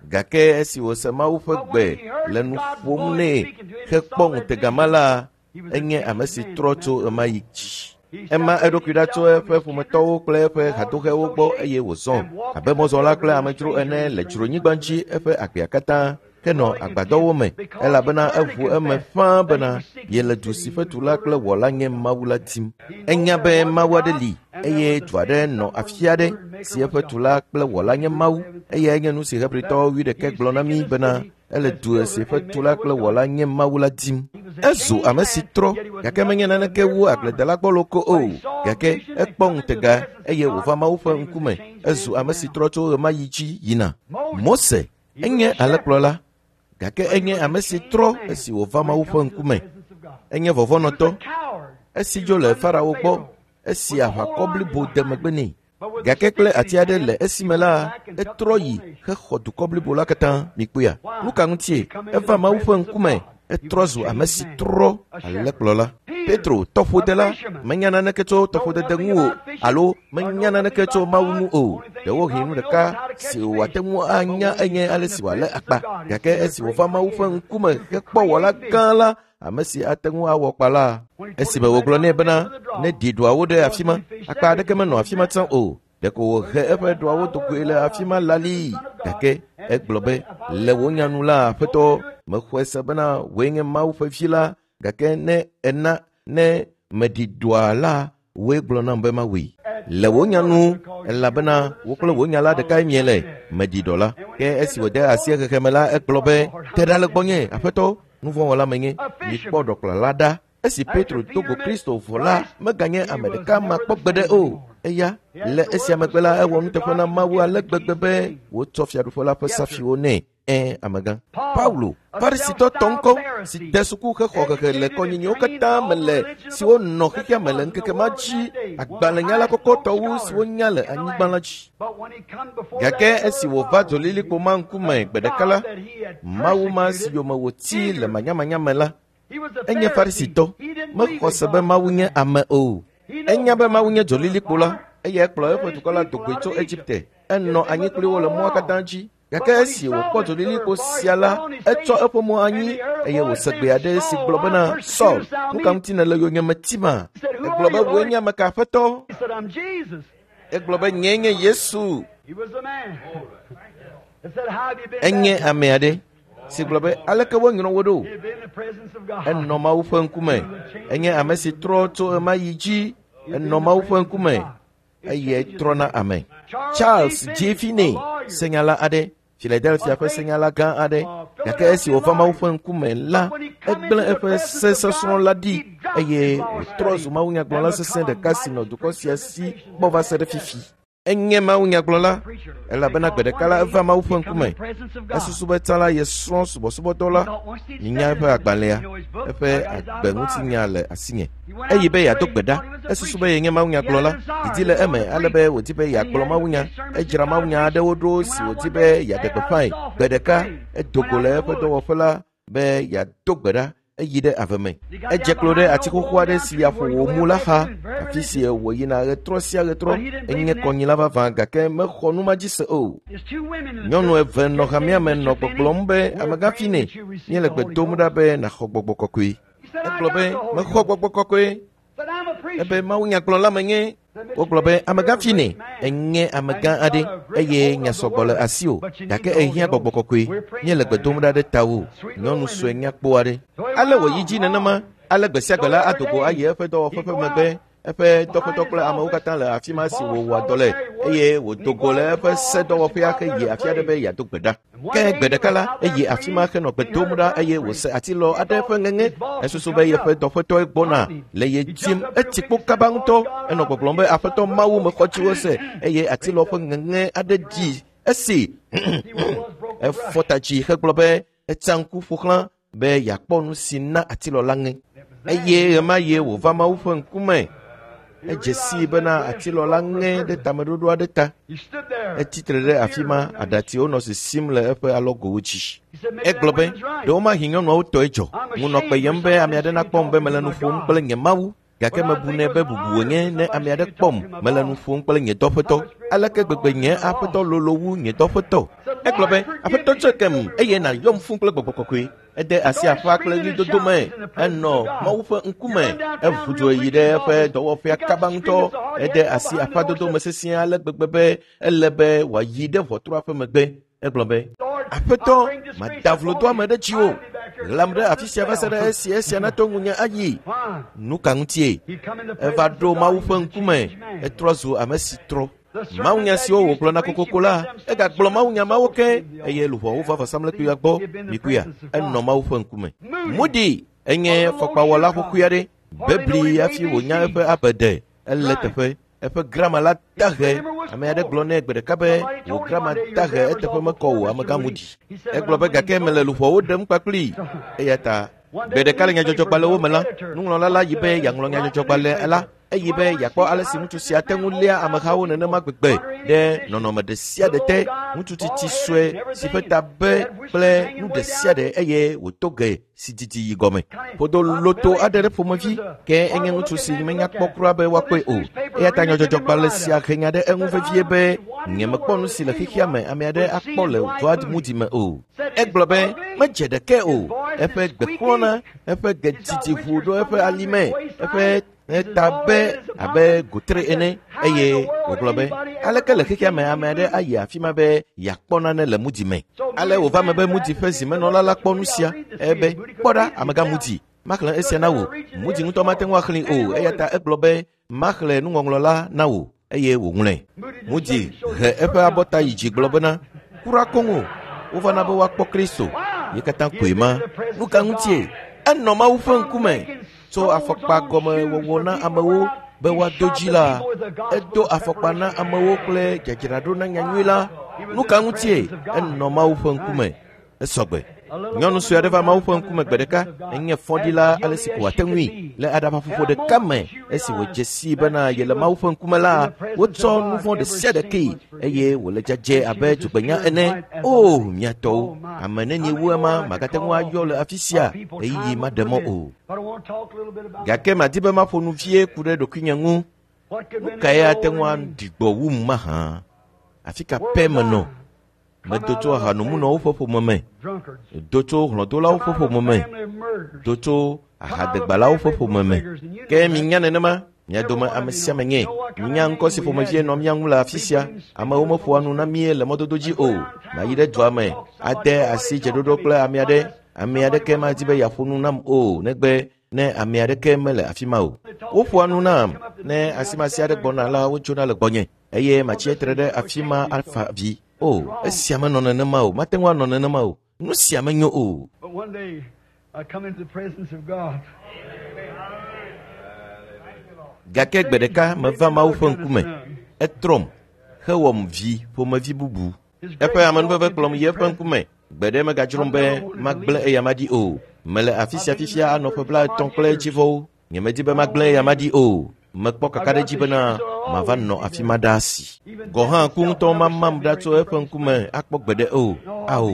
gake esi wòse Mawu ƒe gbe le nu ƒom nɛ hekpɔ ŋutega ma la, enye ame si trɔ tso ɣemaɣi dzi. Ema eɖokui ɖa tso eƒe ƒometɔwo kple eƒe hadoxewo gbɔ eye wòzɔ abe mɔzɔla kple amedzro ene le dzronyigba dzi eƒe agbea katã henɔ agbadɔwo me, elabena eʋu eme ƒãa bena yele du si ƒe tula kple wɔla nye Mawu la dim. Enya be Mawu aɖe li eye du aɖe nɔ afi aɖe si eƒe tula kple wɔla nye Mawu. Eyae nye nu si Hebritɔwo 11 gblɔ na mí bena ele du si ƒe tula kple wɔla nye Mawu la dim. Ezu ame si trɔ, gake menye naneke wu agbledela gbɔlo ko o, gake ekpɔ ŋutega eye wòva Mawu ƒe ŋkume. Ezu ame si trɔ tso ɣemaɣi dzi yina. Mose enye alẽkplɔla, gake enye ame si trɔ esi wòva Mawu ƒe ŋkume. Enye vɔvɔ̃nɔtɔ, esi dzo le Farao gbɔ, esi aʋakɔ blibo de megbe nɛ. Gake kple ati aɖe le esime la, etrɔ yi hexɔ dukɔ blibo la katã. Mikpɔea? Nu ka ŋutie? Eva Mawu ƒe ŋkume, etrɔ zu ame si trɔ alẽkplɔla. Petro, tɔƒodela, menya naneke tso tɔƒodede ŋu o, alo menya naneke tso Mawu ŋu o. Ɖewohĩ nu ɖeka si wòate ŋu anya enye ale si wòalé akpa. Gake esi wòva Mawu ƒe ŋkume hekpɔ wɔla gã la, ame si ate ŋu awɔ kpa la, esime wògblɔ nɛ bena ne ɖi ɖɔawo ɖe afi ma, akpa aɖeke menɔ afi ma tsã o. Ɖeko wòhe eƒe ɖɔawo do goe le afi ma lalii. Gake egblɔ be, le wò nya nu la, Aƒetɔ, mexɔe se bena wòe nye Mawu ƒe vi la, gake ne ena ne meɖi ɖɔa la, wòe gblɔ nam be mawɔe. Le wò nya nu, elabena wò kple wò nya la ɖekae miele, meɖi ɖɔ la. Ke esi wòde asi xexeme la, egblɔ be, te ɖa le gbɔnye, Aƒetɔ, nuvɔ̃wɔla menye. Mikpɔ ɖɔkplɔla ɖa. Esi Petro do go Kristo vɔ la, meganye ame ɖeka ma kpɔ gbeɖe o. Eya, le esia megbe la, ewɔ nuteƒe na Mawu ale gbegbe be wòtsɔ fiaɖuƒe la ƒe safiwo nɛ. Ẽ, amegã. Paulo, Farisitɔ tɔ ŋkɔ, si de suku hexɔ hehe le kɔnyinyiwo katã me le siwo nɔ xexea me le ŋkeke ma dzi, agbalẽnyala kɔkɔtɔ wu siwo nya le anyigba la dzi. Gake esi wòva dzolilikpo ma ŋkume gbe ɖeka la, Mawu ma si yome wòti le manyamanya me la, enye Farisitɔ, mexɔ se be Mawu nye ame o. Enya be Mawu nye dzolilikpo la, eye ekplɔ eƒe dukɔ la do goe tso Egipte. Enɔ anyi kpli wo le mɔa katã dzi. Gake esi wòkpɔ dzolilikpo sia la, etsɔ eƒe mo anyi eye wòse gbe aɖe si gblɔ bena, Saul, nu ka ŋuti nèle yonyeme tima? Egblɔ be, wòe nye ame ka, Aƒetɔ? Egblɔ be, nyee nye Yesu. Enye ame aɖe si gblɔ be, aleke wonyrɔ wo ɖo? Enɔ Mawu ƒe ŋkume. Enye ame si trɔ tso ɣemaɣi dzi. Enɔ Mawu ƒe ŋkume eye trɔna ame. Charles J. Finney, senyala aɖe, Philadelphia ƒe senyala gã aɖe, gake esi wòva Mawu ƒe ŋkume la, egblẽ eƒe sesɔsrɔ̃ la ɖi eye wòtrɔ zu mawunyagblɔla sesẽ ɖeka si nɔ dukɔ sia si kpɔ va se ɖe fifi. Enye mawunyagblɔla, elabena gbe ɖeka la eva Mawu ƒe ŋkume. Esusu be tsã la yesrɔ̃ subɔsubɔdɔ la, minya eƒe agbalẽa, eƒe agbeŋutinya le asinye. Eyi be yeado gbe ɖa. Esusu be yenye mawunyagblɔla. Didi le eme ale be wòdi be yeagblɔ mawunya. Edzra mawunya aɖewo ɖo si wòdi be yeaɖe gbeƒãe. Gbe ɖeka, edo go le eƒe dɔwɔƒe la be yeado gbe ɖa. Eyi ɖe ave me. Edze klo ɖe ati xoxo aɖe si aƒo wò mu la xa, afi si wòyina ɣetrɔ sia ɣetrɔ. Enye kɔnyila vavã gake mexɔ nu ma dzi se o. Nyɔnu eve nɔ hamea me nɔ gbɔgblɔm be, amegã Finney, míele gbe dom ɖa be nàxɔ gbɔgbɔ kɔkɔe. Egblɔ be, mexɔ gbɔgbɔ kɔkɔe. Ebe mawunyagblɔla menye. Wogblɔ be, amegã Finney, enye amegã aɖe eye nya sɔgbɔ le asiwò, gake èhiã gbɔgbɔ kɔkɔe. Míele gbe dom ɖa ɖe tawò, nyɔnu sue nyakpɔ aɖe. Ale wòyi dzi nenema, ale gbe sia gbe la ado go ayi eƒe dɔwɔƒe ƒe megbe, eƒe dɔƒetɔ kple amewo katã le afi ma si wòwɔa dɔ le, eye wòdo go le eƒe sedɔwɔƒea heyi afi aɖe be yeado gbe ɖa. Ke gbe ɖeka la, eyi afi ma henɔ gbe dom ɖa eye wòse atilɔ aɖe ƒe ŋeŋe. Esusu be yeƒe dɔƒetɔe gbɔna le ye dim. Etsi kpo kaba ŋutɔ. Enɔ gbɔgblɔm be, Aƒetɔ Mawu, mexɔ dziwò se. Eye atilɔ ƒe ŋeŋe aɖe ɖi esi efɔ ta dzi hegblɔ be, etsa ŋku ƒo xlã be yeakpɔ nu si na atilɔ la ŋe. Eye ɣemaɣie wòva Mawu ƒe ŋkume. Edze sii bena atilɔ la ŋe ɖe tameɖoɖo aɖe ta. Etsi tre ɖe afi ma, aɖatsiwo nɔ sisim le eƒe alɔgowo dzi. Egblɔ be, ɖewomahi nyɔnuawo tɔe dzɔ. Ŋu nɔ kpeyem be ame aɖe nakpɔm be mele nu ƒom kple nye Mawu, gake mebunɛ be bubu wònye ne ame aɖe kpɔm mele nu ƒom kple nye dɔƒetɔ. Aleke gbegbe nye aƒetɔ lolo wu nye dɔƒetɔ? Egblɔ be, Aƒetɔ tsɔe kem eye nàyɔm fũ kple gbɔgbɔ kɔkɔe. Ede asi aƒa kple ɣlidodo me. Enɔ Mawu ƒe ŋkume. Eʋu dzo yi ɖe eƒe dɔwɔƒea kaba ŋutɔ. Ede asi aƒadodo me sesĩe ale gbegbe be ele be wòayi ɖe ʋɔtrua ƒe megbe. Egblɔ be, Aƒetɔ, mada vlodoame ɖe dziwò. Ɣlam ɖe afi sia va se ɖe esi esia nato ŋunye ayi. Nu ka ŋutie? Eva ɖo Mawu ƒe ŋkume. Etrɔ zu ame si trɔ. Mawunya siwo wògblɔna kokoko la, egagblɔ mawunya mawo ke eye luʋɔwo va vɔsamlekpuia gbɔ. Mikuia, enɔ Mawu ƒe ŋkume. Moody enye fɔkpawɔla xoxoe aɖe. Bebli hafi wònya eƒe abede. Ele teƒe. Eƒe grama la dahe. Ame aɖe gblɔ nɛ gbe ɖeka be wò grama dahe eteƒe mekɔ o amegã Moody. Egblɔ be gake mele luʋɔwo ɖem kpakplii. Eya ta gbe ɖeka le nyadzɔdzɔgbalẽwo me la, nuŋlɔla la yi be yeaŋlɔ nyadzɔdzɔgbalẽ la. Eyi be yeakpɔ ale si ŋutsu sia te ŋu léa amehawo nenema gbegbe ɖe nɔnɔme ɖe sia ɖe te. Ŋutsu tsitsi sue si ƒe ta be kple nu ɖe sia ɖe eye wòto ge si didi yi gɔme. Ƒodo loto aɖe ɖe ƒomevi ke enye ŋutsu si menya kpɔ kura be woakpɔe o. Eya ta nyadzɔdzɔgbalẽ sia he nya ɖe eŋu vevie be nyemekpɔ nu si le xexea me ame aɖe akpɔ le Dwight Moody me o. Egblɔ be medze ɖeke o. Eƒe gbe xlɔ̃na, eƒe ge didi ʋu ɖo eƒe alime, eƒe ta be abe gotre ene eye wògblɔ be aleke le xexea me ame aɖe ayi afi ma be yeakpɔ nane le Moody me. Ale wòva me be Moody ƒe zimenɔla la kpɔ nu sia ebe kpɔ ɖa amegã Moody, maxlẽ esia na wò. Moody ŋutɔ mate ŋu axlẽe o eya ta egblɔ be maxlẽ nuŋɔŋlɔ la na wò eye wòŋlɔe. Moody he eƒe abɔta yi dzi gblɔ bena kura koŋ o, wovana be woakpɔ Kristo. Ye katã koe ma. Nu ka ŋutie? Enɔ Mawu ƒe ŋkume. Tso afɔkpa gɔme wɔwɔ na amewo be woado dzi la, edo afɔkpa na amewo kple dzadzraɖo na nyanyui la. Nu ka ŋutie? Enɔ Mawu ƒe ŋkume. Esɔgbe. Nyɔnu sue aɖe va Mawu ƒe ŋkume gbe ɖeka. Enye fɔɖila ale si ko wòate ŋui. Le aɖabaƒoƒo ɖeka me, esi wòdze sii bena yele Mawu ƒe ŋkume la, wotsɔ nu vɔ̃ ɖe sia ɖe kee eye wòle dzadzɛ abe dzogbenya ene. O, mia tɔwo, ame nenie wu ema magate ŋu ayɔ le afi sia ɣeyiɣi maɖe mɔ o. Gake madi be maƒo nu vie ku ɖe ɖokuinye ŋu. Nu kae ate ŋu aɖi gbɔ wum mahã? Afi ka pɛ menɔ? Medo tso ahanomunɔwo ƒe ƒome me, do tso hlɔ̃dolawo ƒe ƒome me, do tso ahadegbalawo ƒe ƒome me. Ke minya nenema, mia dome ame sia ame nye. Minya ŋkɔ si ƒomevie nɔ mía ŋu le afi sia. Amewo meƒoa nu na mí le mɔdodo dzi o. Mayi ɖe dua me, ade asi dzeɖoɖo kple ame aɖe. Ame aɖeke madi be yeaƒo nu nam o negbe ne ame aɖeke mele afi ma o. Woƒoa nu nam ne asimasi aɖe gbɔna la, wodzona le gbɔnye eye matsi tre ɖe afi ma afa vi. O, esia menɔ nenema o, mate ŋu anɔ nenema o. Nu sia menyo o. But one day I come into the presence of God. Gake gbe ɖeka meva Mawu ƒe ŋkume. Etrɔm hewɔm vi ƒomevi bubu. Eƒe amenuveve kplɔm yi eƒe ŋkume. Gbe ɖe megadzrom be magblẽ eyama ɖi o. Mele afi sia fifia anɔ ƒe 50 kple edzivɔwo. Nyemedi be magblẽ eyama ɖi o. Mekpɔ kakaɖedzi bena mava nɔ afi ma ɖaa si. Gɔ hã ku ŋutɔ mamam ɖa tso eƒe ŋkume akpɔ gbeɖe o. Ao,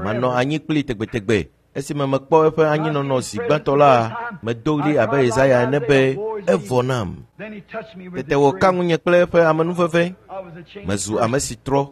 manɔ anyi kplii tegbetegbe. Esime mekpɔ eƒe anyinɔnɔ zi gbãtɔ la, medo ɣli abe Yesaya ene be, evɔ nam. Then he touched me with Tete wòka ŋunye kple eƒe amenuveve. I was a changed Mezu ame si trɔ.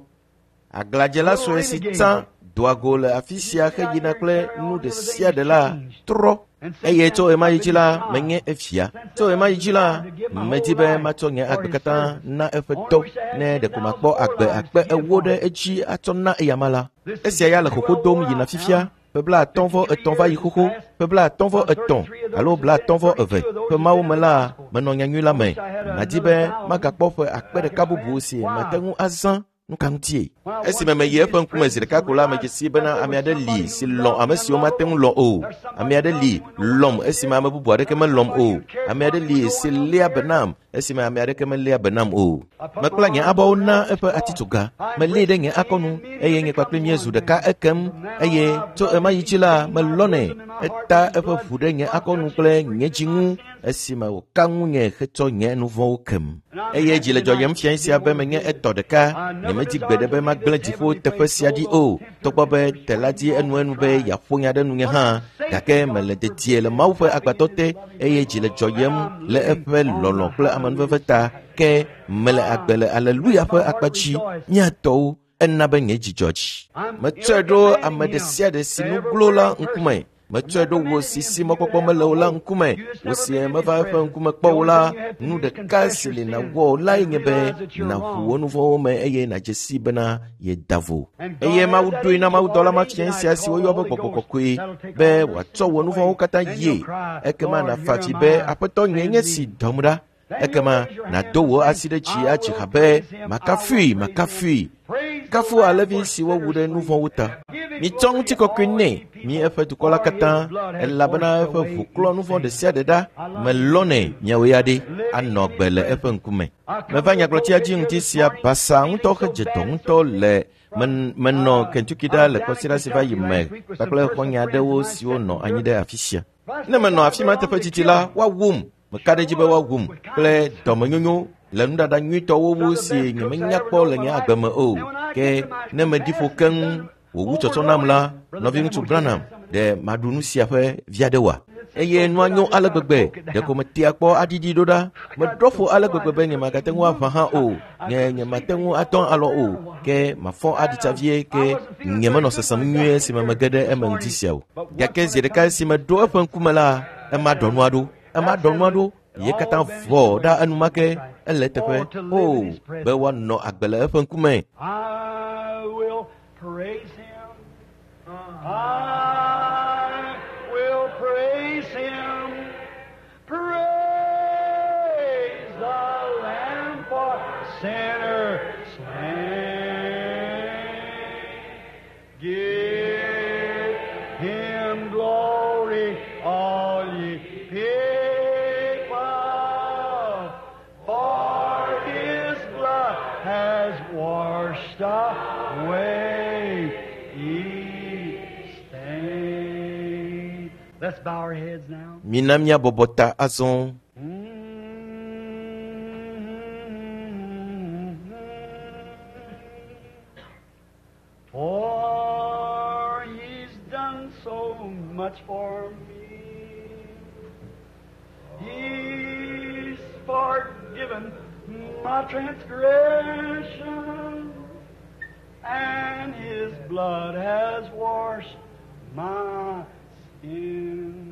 Aglãdzela sue si tsã doa go le afi sia heyina kple nu ɖe sia ɖe la trɔ. Eye tso ɣemaɣi dzi la, menye efia. Tso ɣemaɣi dzi la, medi be matsɔ nye agbe katã na eƒe dɔ ne ɖeko makpɔ agbe 40,000 ɖe edzi atsɔ na eyama la. Esia ya le xoxo dom yina fifia. Ƒe 53 va yi xoxo, ƒe 53 alo 52 ƒe mawo me la, menɔ nyanyui la me. Madi be magakpɔ ƒe 1000 bubu si mate ŋu azã. Nu ka ŋutie? Esime meyi eƒe ŋkume zi ɖeka ko la, medze sii bena ame aɖe li si lɔ̃ ame siwo mate ŋu lɔ̃ o. Ame aɖe li lɔ̃m esime ame bubu aɖeke melɔ̃m o. Ame aɖe li si léa be nam esime ame aɖeke meléa be nam o. Mekpla nye abɔwo na eƒe atitsoga, melée ɖe nye akɔnu eye nye kpakple míezu ɖeka ekem eye tso ɣemaɣi dzi la, melɔ̃nɛ. Eta eƒe ʋu ɖe nye akɔnu kple nye dzi ŋu esime wòka ŋunye hetsɔ nye nu vɔ̃wo kem. Eye dzi le dzɔdzɔm fiae sia be menye etɔ ɖeka. Nyemedi gbeɖe be magblẽ dziƒo teƒe sia ɖi o. Togbɔ be tela di enuenu be yeaƒo nya ɖe nunye hã, gake mele dedie le Mawu ƒe agbadɔ te eye dzi le dzɔyem le eƒe lɔlɔ̃ kple amenuveve ta. Ke mele agbe le Aleluya ƒe akpa dzi. Mía tɔwo, ena be nye dzidzɔ dzi. Metsɔe ɖo ame ɖe sia ɖe si nu glo la ŋkume. Metsɔe ɖo wò si si mɔkpɔkpɔ mele o la ŋkume. Wò si meva eƒe ŋkume kpɔ o la, nu ɖeka si li nàwɔ lae nye be nàʋu wò nu vɔ̃wo me eye nàdze sii bena yeda vo. Eye Mawu ɖoe na mawudɔla mafia sia si woyɔ be gbɔgbɔ kɔkɔe be wòatsɔ wò nu vɔ̃wo katã yie. Ekema nàfa avi be, Aƒetɔ nye nye si dɔm ɖa. Ekema nàdo wò asi ɖe dzi adzi ha be, Makafui, makafui. Kafu alẽvi si wowu ɖe nu vɔ̃wo ta. Mitsɔ ŋutikɔkɔe nɛ, mi eƒe dukɔ la katã, elabena eƒe ʋu klɔ nu vɔ̃ ɖe sia ɖe ɖa. Melɔ̃nɛ miawo ya ɖe anɔ agbe le eƒe ŋkume. Meva nyagblɔtia dzi ŋdi sia basaa ŋutɔ hedze dɔ ŋutɔ le menɔ Kentucky ɖa le kɔsiɖa si va yi me kpakple xɔ̃nye aɖewo siwo nɔ anyi ɖe afi sia. Ne menɔ afi ma teƒe didi la, woawum. Meka ɖe edzi be woawum kple dɔmenyonyo le nuɖaɖa nyuitɔwo wu si nyemenya kpɔ le nye agbe me o. Ke ne meɖi ƒo keŋ wòwu tsɔtsɔ nam la, nɔviŋutsu Branham, ɖe maɖu nu sia ƒe vi aɖe oa? Eye nua nyo ale gbegbe, ɖeko metea kpɔ aɖiɖi ɖo ɖa. Meɖɔ ƒo ale gbegbe be nyemagate ŋu aʋã hã o. Nye nyemate ŋu atɔ alɔ o. Ke mafɔ aɖi tsa vie ke nyemenɔ sesem nyuie esime mege ɖe eme ŋdi sia o. Gake zi ɖeka esi meɖo eƒe ŋkume la, ema ɖɔ nua ɖo. Ema ɖɔ nua ɖo. Ye katã vɔ ɖa enumake ele eteƒe. O, be woanɔ agbe le eƒe ŋkume. I will praise him. I will praise him. Praise the Lamb for sinners slain. Give him glory, all ye people, for his blood has washed away each stain. Let's bow our heads now. Mina míabɔbɔ ta azɔ. For he's done so much for me. He's forgiven my transgression, and his blood has washed my sin.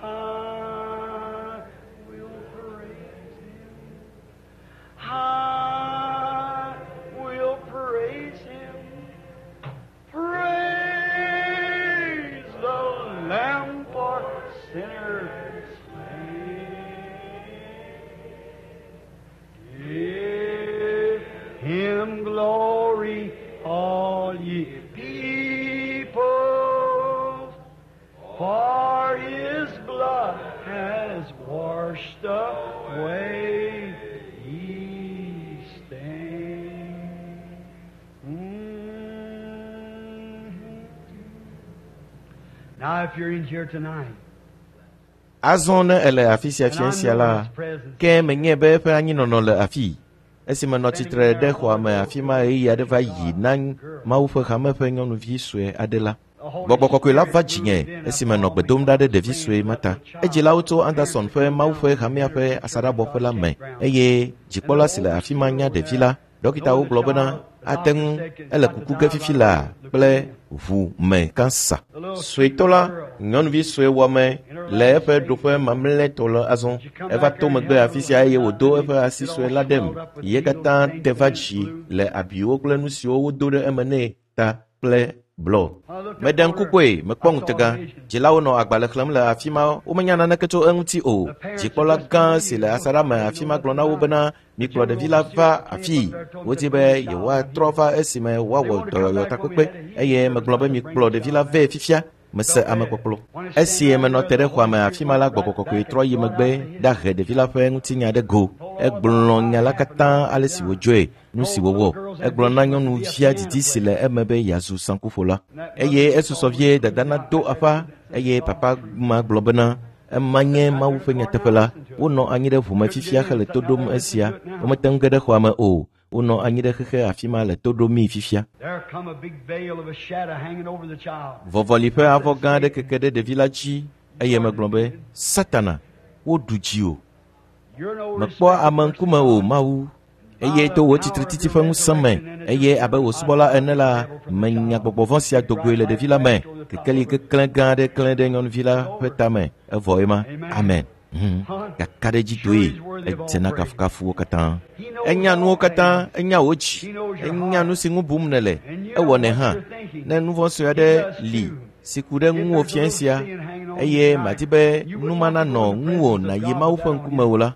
I will praise him. I will praise him. Praise the Lamb for sinners slain. Give him glory, all ye people, for his blood has washed away each stain. Now, if you're in here tonight, Azɔ ne ele afi sia and I fia sia know la, his presence, ke menye be eƒe anyinɔnɔ le afii. Esi menɔ tsitre ɖe xɔa me afi ma ɣeyiɣi aɖe va yi na Mawu ƒe hame ƒe nyɔnuvi sue aɖe la, Gbɔgbɔ kɔkɔe la va dzinye esi menɔ gbe dom ɖa ɖe ɖevi sue ma ta. Edzilawo tso Anderson ƒe Mawu ƒe hamea ƒe asaɖabɔƒe la me eye dzikpɔla si le afi ma nya ɖevi la. Ɖɔkitawo gblɔ bena ate ŋu ele kuku ge fifi laa kple ʋu me kansa. Suetɔ la, nyɔnuvi sue wɔme le eƒe ɖoƒe mamlɛtɔ le azɔ. Eva to megbe afi sia eye wòdo eƒe asi sue la ɖem. Ye katã te va dzi le abiwo kple nu siwo wodo ɖe eme nɛ ta kple blɔ. Meɖe ŋku kpɔe, mekpɔ ŋutega. Dzilawo nɔ agbalẽ xlẽm le afi ma, womenya naneke tso eŋuti o. Dzikpɔla gã si le asaɖa me afi ma gblɔ na wo bena mikplɔ ɖevi la va afii. Wodi be yewoatrɔ va esime woawɔ dɔyɔyɔ takpekpe eye megblɔ be mikplɔ ɖevi la vɛ fifia. Mese amekpɔkplɔ. Esi menɔ te ɖe xɔa me afi ma la, gbɔgbɔ kɔkɔe trɔ yi megbe ɖahe ɖevi la ƒe ŋutinya ɖe go. Egblɔ nya la katã ale si wòdzɔe, nu si wòwɔ. Egblɔ na nyɔnuvia didi si le eme be yeazu saŋkuƒola. Eye esusɔ vie dada nado aƒa eye papa ma gblɔ bena ema nye Mawu ƒe nyateƒe la. Wonɔ anyi ɖe ʋu me fifia hele to ɖom esia. Womete ŋu ge ɖe xɔa me o. Wonɔ anyi ɖe xexe afi ma le to ɖomii fifia. there come a big veil of a shadow hanging over the child. Vɔvɔli ƒe avɔ gã aɖe keke ɖe ɖevi la dzi eye megblɔ be, Satana, woɖu dziwò. You're no Mekpɔ ame ŋkume o, Mawu. Eye to wò tsitretsitsi ƒe ŋusẽ me, eye abe wò subɔla ene la, menya gbɔgbɔ vɔ̃ sia do goe le ɖevi la me. Kekeli keklẽ gã aɖe klẽ ɖe nyɔnuvi la ƒe tame evɔ ema. Amen. Kakaɖedzitoe edze na kafukafuwo katã. Enya nuwo katã, enya wò dzi, enya nu si ŋu bum nèle, ewɔnɛ hã. Ne nu vɔ̃ sue aɖe li si ku ɖe ŋuwò fiẽ sia eye màdi be nu ma nanɔ ŋuwò nàyi Mawu ƒe ŋkume o la,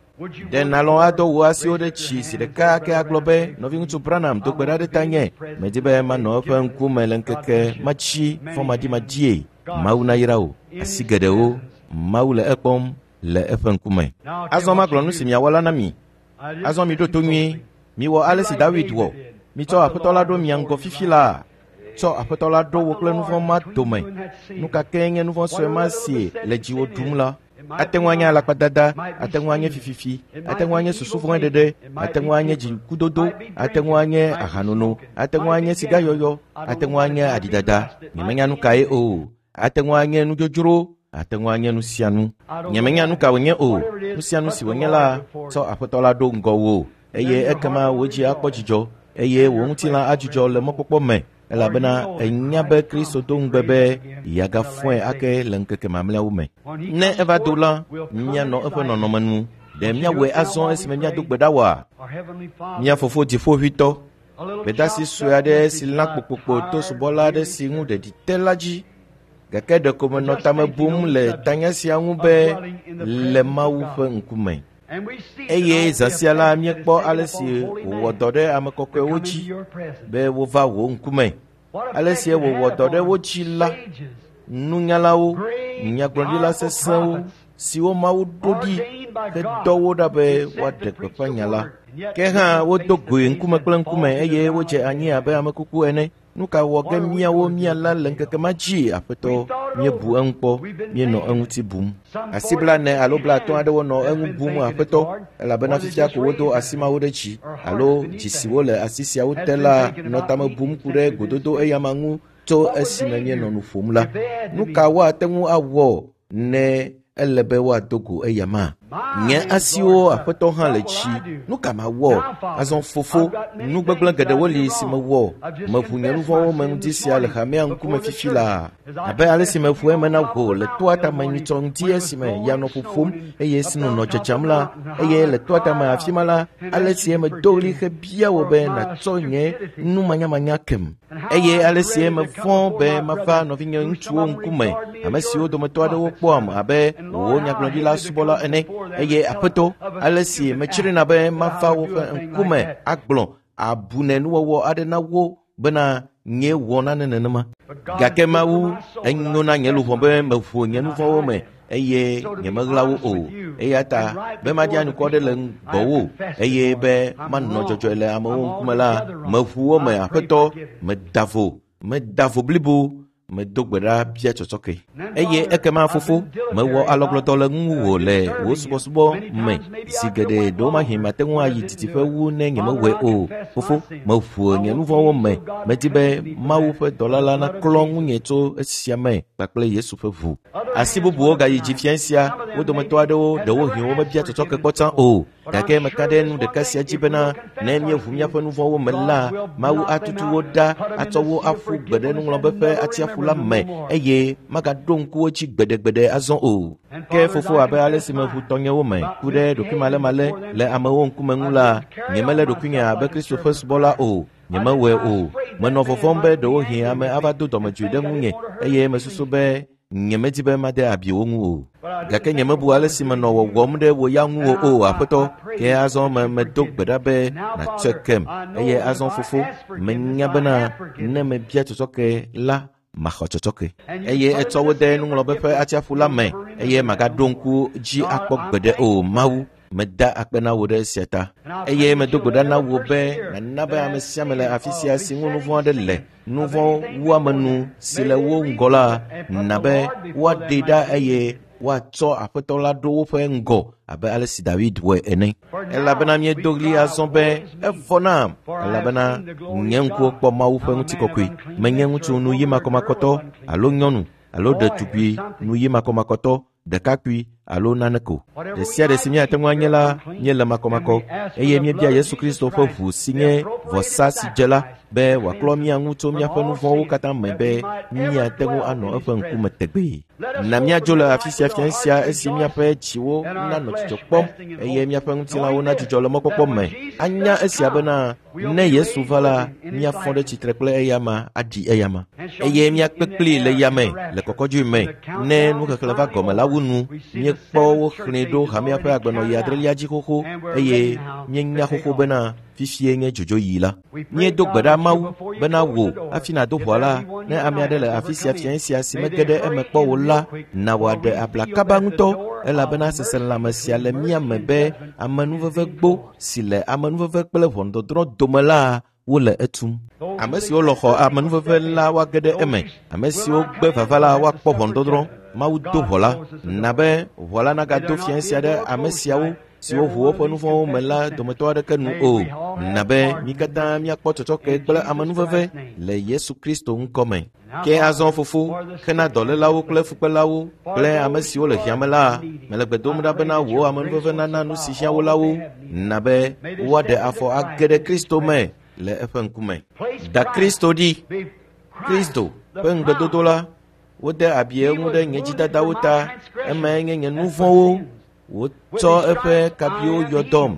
ɖe nàlɔ̃ adɔ wò asiwo ɖe tsi zi ɖeka ke agblɔ be, nɔviŋutsu Branham do gbe ɖa ɖe tanye. Medi be manɔ eƒe ŋkume le ŋkeke matsi fɔmaɖimaɖie. Mawu nayra wò. Asi geɖewo, Mawu le ekpɔm le eƒe ŋkume. Azɔ magblɔ nu si miawɔ la na mi. Azɔ miɖo to nyuie. Miwɔ ale si Dawid wɔ. Mitsɔ Aƒetɔ la ɖo mia ŋgɔ fifi laa. Tsɔ Aƒetɔ la ɖo wò kple nu vɔ̃ ma dome. Nu ka kee nye nu vɔ̃ sue ma si le dziwò ɖum la? Ate ŋu anye alakpadada, ate ŋu anye fififi, ate ŋu anye susu vɔ̃ ɖeɖe, ate ŋu anye dzikudodo, ate ŋu anye ahanono, ate ŋu anye sigayɔyɔ, ate ŋu anye aɖidada. Nyemenya nu kae o. Ate ŋu anye nudzodzro, ate ŋu anye nu sia nu. Nyemenya nu ka wònye o. Nu sia nu si wònye la, tsɔ Aƒetɔ la ɖo ŋgɔwò eye ekema wò dzi akpɔ dzidzɔ eye wò ŋutilã adzudzɔ le mɔkpɔkpɔ me elabena enya be Kristo do ŋugbe be yeagafɔe ake le ŋkeke mamlɛawo me. Ne eva do la, míanɔ eƒe nɔnɔme nu. Ɖe míawɔe azɔ esime míado gbe ɖa oa? Mía Fofo Dziƒoʋĩtɔ, gbedasi sue aɖe si lã kpokpokpo to subɔla aɖe si ŋu ɖeɖi te la dzi. Gake ɖeko menɔ tame bum le tanya sia ŋu be le Mawu ƒe ŋkume. Eye zã sia la míekpɔ ale si wòwɔ dɔ ɖe ame kɔkɔewo dzi be wova wò ŋkume. Ale si wòwɔ dɔ ɖe wo dzi la, nunyalawo, nyagblɔɖila sesẽwo siwo Mawu ɖo ɖi hedɔ wo ɖa be woaɖe gbeƒã nya la. Ke hã wodo goe ŋkume kple ŋkume eye wodze anyi abe ame kuku ene. Nu ka wɔ ge míawo míala le ŋkeke ma dzi, Aƒetɔ? Míebu eŋu kpɔ, míenɔ eŋuti bum. Asi 40 alo 50 aɖewo nɔ eŋu bum, Aƒetɔ, elabena fifia ko wodo asi mawo ɖe dzi, alo dzi siwo le asi siawo te la nɔ tame bum ku ɖe gododo eyama ŋu tso esime míenɔ nu ƒom la. Nu ka woate ŋu awɔ ne ele be woado go eyama? Nye asiwo Aƒetɔ hã le dzi. Nu ka mawɔ? Azɔ Fofo, nu gbegblẽ geɖewo li si mewɔ. Meʋu nye nu vɔ̃wo me ŋdi sia le hamea ŋkume fifi laa. Abe ale si meʋu eme na wò le toa tame nyitsɔ ŋdi esime ya nɔ ƒoƒom eye sno nɔ dzedzam la, eye le toa tame afi ma la, ale si medo ɣli hebia wò be nàtsɔ nye numanyamanya kem. Eye ale si mevɔ̃ be mava nɔvinye ŋutsuwo ŋkume, ame siwo dometɔ aɖewo kpɔam abe wò nyagblɔɖila subɔla ene, eye Aƒetɔ, ale si metsrina be mava woƒe ŋkume agblɔ abune nuwɔwɔ aɖe na wo bena nye wɔ nane nenema. Gake Mawu, enyo na nye luʋɔ be meʋu nye nu vɔ̃wo me eye nyemeɣla wo o. Eya ta be maɖi anukɔ ɖe le gbɔwò eye be manɔ dzɔdzɔe le amewo ŋkume la, meʋu wo me, Aƒetɔ, meda vo blibo, medo gbe ɖa bia tsɔtsɔke. Eye ekema Fofo, mewɔ alɔgblɔdɔ le ŋuwò le wò subɔsubɔ me zi geɖe ɖewomahi mate ŋu ayi didiƒe wu ne nyemewɔe o. Fofo, meʋu nye nu vɔ̃wo me. Medi be Mawu ƒe dɔla la naklɔ ŋunye tso esia me kpakple Yesu ƒe ʋu. Asi bubuwo gayi dzi fiẽ sia, wo dometɔ aɖewo ɖewohĩ womebia tsɔtsɔke kpɔ tsã o. Gake meka ɖe nu ɖeka sia dzi bena ne míeʋu míaƒe nu vɔ̃wo me la, Mawu atutu wo ɖa atsɔ wo aƒu gbe ɖe nuŋlɔbe ƒe atsiaƒu la me eye magaɖo ŋku wo dzi gbeɖegbeɖe azɔ o. Ke Fofo, abe ale si meʋu tɔnyewo me ku ɖe ɖokuimalemale le amewo ŋkume ŋu la, nyemelé ɖokuinye abe Kristo ƒe subɔla o. Nyemewɔe o. Menɔ vɔvɔ̃m be ɖewohĩ ame ava do dɔmedzoe ɖe ŋunye eye mesusu be nyemedi be made abi wo ŋu o. Gake nyemebu ale si menɔ wɔwɔm ɖe wò ya ŋuwò o, Aƒetɔ. Ke azɔ me medo gbe ɖa be nàtsɔe kem. Eye azɔ Fofo, menya bena ne mebia tsɔtsɔke la, maxɔ tsɔtsɔke. Eye etsɔ wo de nuŋlɔbe ƒe atsiaƒu la me eye magaɖo ŋku dzi akpɔ gbeɖe o. Mawu, meda akpe na wò ɖe esia ta. Eye medo gbe ɖa na wò be nàna be ame sia ame le afi sia si ŋu nu vɔ̃ aɖe le, nu vɔ̃ wuame nu si le wo ŋgɔ la, na be woaɖee ɖa eye woatsɔ Aƒetɔ la ɖo woƒe ŋgɔ abe ale si Dawid wɔe ene. Elabena míedo ɣli azɔ be evɔ nam, elabena nye ŋkuwo kpɔ Mawu ƒe ŋutikɔkɔe. Menye ŋutsu nuyi makɔmakɔtɔ alo nyɔnu alo ɖetugbui nuyi makɔmakɔtɔ, ɖekakpui alo nane ko. Ɖe sia ɖe si míate ŋu anye la, míele makɔmakɔ eye míebia Yesu Kristo ƒe ʋu si nye vɔsa si dze la be wòaklɔ mía ŋu tso míaƒe nu vɔ̃wo katã me be míate ŋu anɔ eƒe ŋkume tegbee. Na míadzo le afi sia fiẽ sia esi míaƒe dziwo nanɔ dzidzɔ kpɔm eye míaƒe ŋutilãwo nadzudzɔ le mɔkpɔkpɔ me. Anya esia bena ne Yesu va la, míafɔ ɖe tsitre kple eyama aɖi eyama eye míakpe kplii le yame le kɔkɔdzoe me. Ne nuxexlẽ va gɔme la wu nu, míekpɔ wo xlẽe ɖo hamea ƒe agbenɔɣi adrelia dzi xoxo eye míenya xoxo bena fifie nye dzodzoɣi la. Míedo gbe ɖa Mawu bena wò hafi nàdo ʋɔa la, ne ame aɖe le afi sia fiẽ sia si mege ɖe eme kpɔ o la, na wòaɖe abla kaba ŋutɔ elabena seselãme sia le mía me be amenuveve gbo si le amenuveve kple ʋɔnudɔdrɔ̃ dome la wole etum. Ame siwo lɔ̃ xɔ amenuveve la woage ɖe eme. Ame siwo gbe vava la woakpɔ ʋɔnudɔdrɔ̃. Mawu do ʋɔ la. Na be ʋɔ la nagado fiẽ sia ɖe ame siawo siwo ʋu woƒe nu vɔ̃wo me la dometɔ aɖeke nu o. Na be mí katã míakpɔ tsɔtsɔke kple amenuveve le Yesu Kristo ŋkɔ me. Ke azɔ fofo, hena dɔlélawo kple fukpelawo kple ame siwo le hiã me la, mele gbe dom ɖa bena wò amenuveve nana nu si hiã wo la wo. Na be woaɖe afɔ age ɖe Kristo me le eƒe ŋkume. Da Kristo ɖi. Kristo ƒe ŋugbedodo la, wode abi eŋu ɖe nye dzidadawo ta, emae nye nye nu vɔ̃wo. Wotsɔ eƒe kabiwo yɔ dɔm.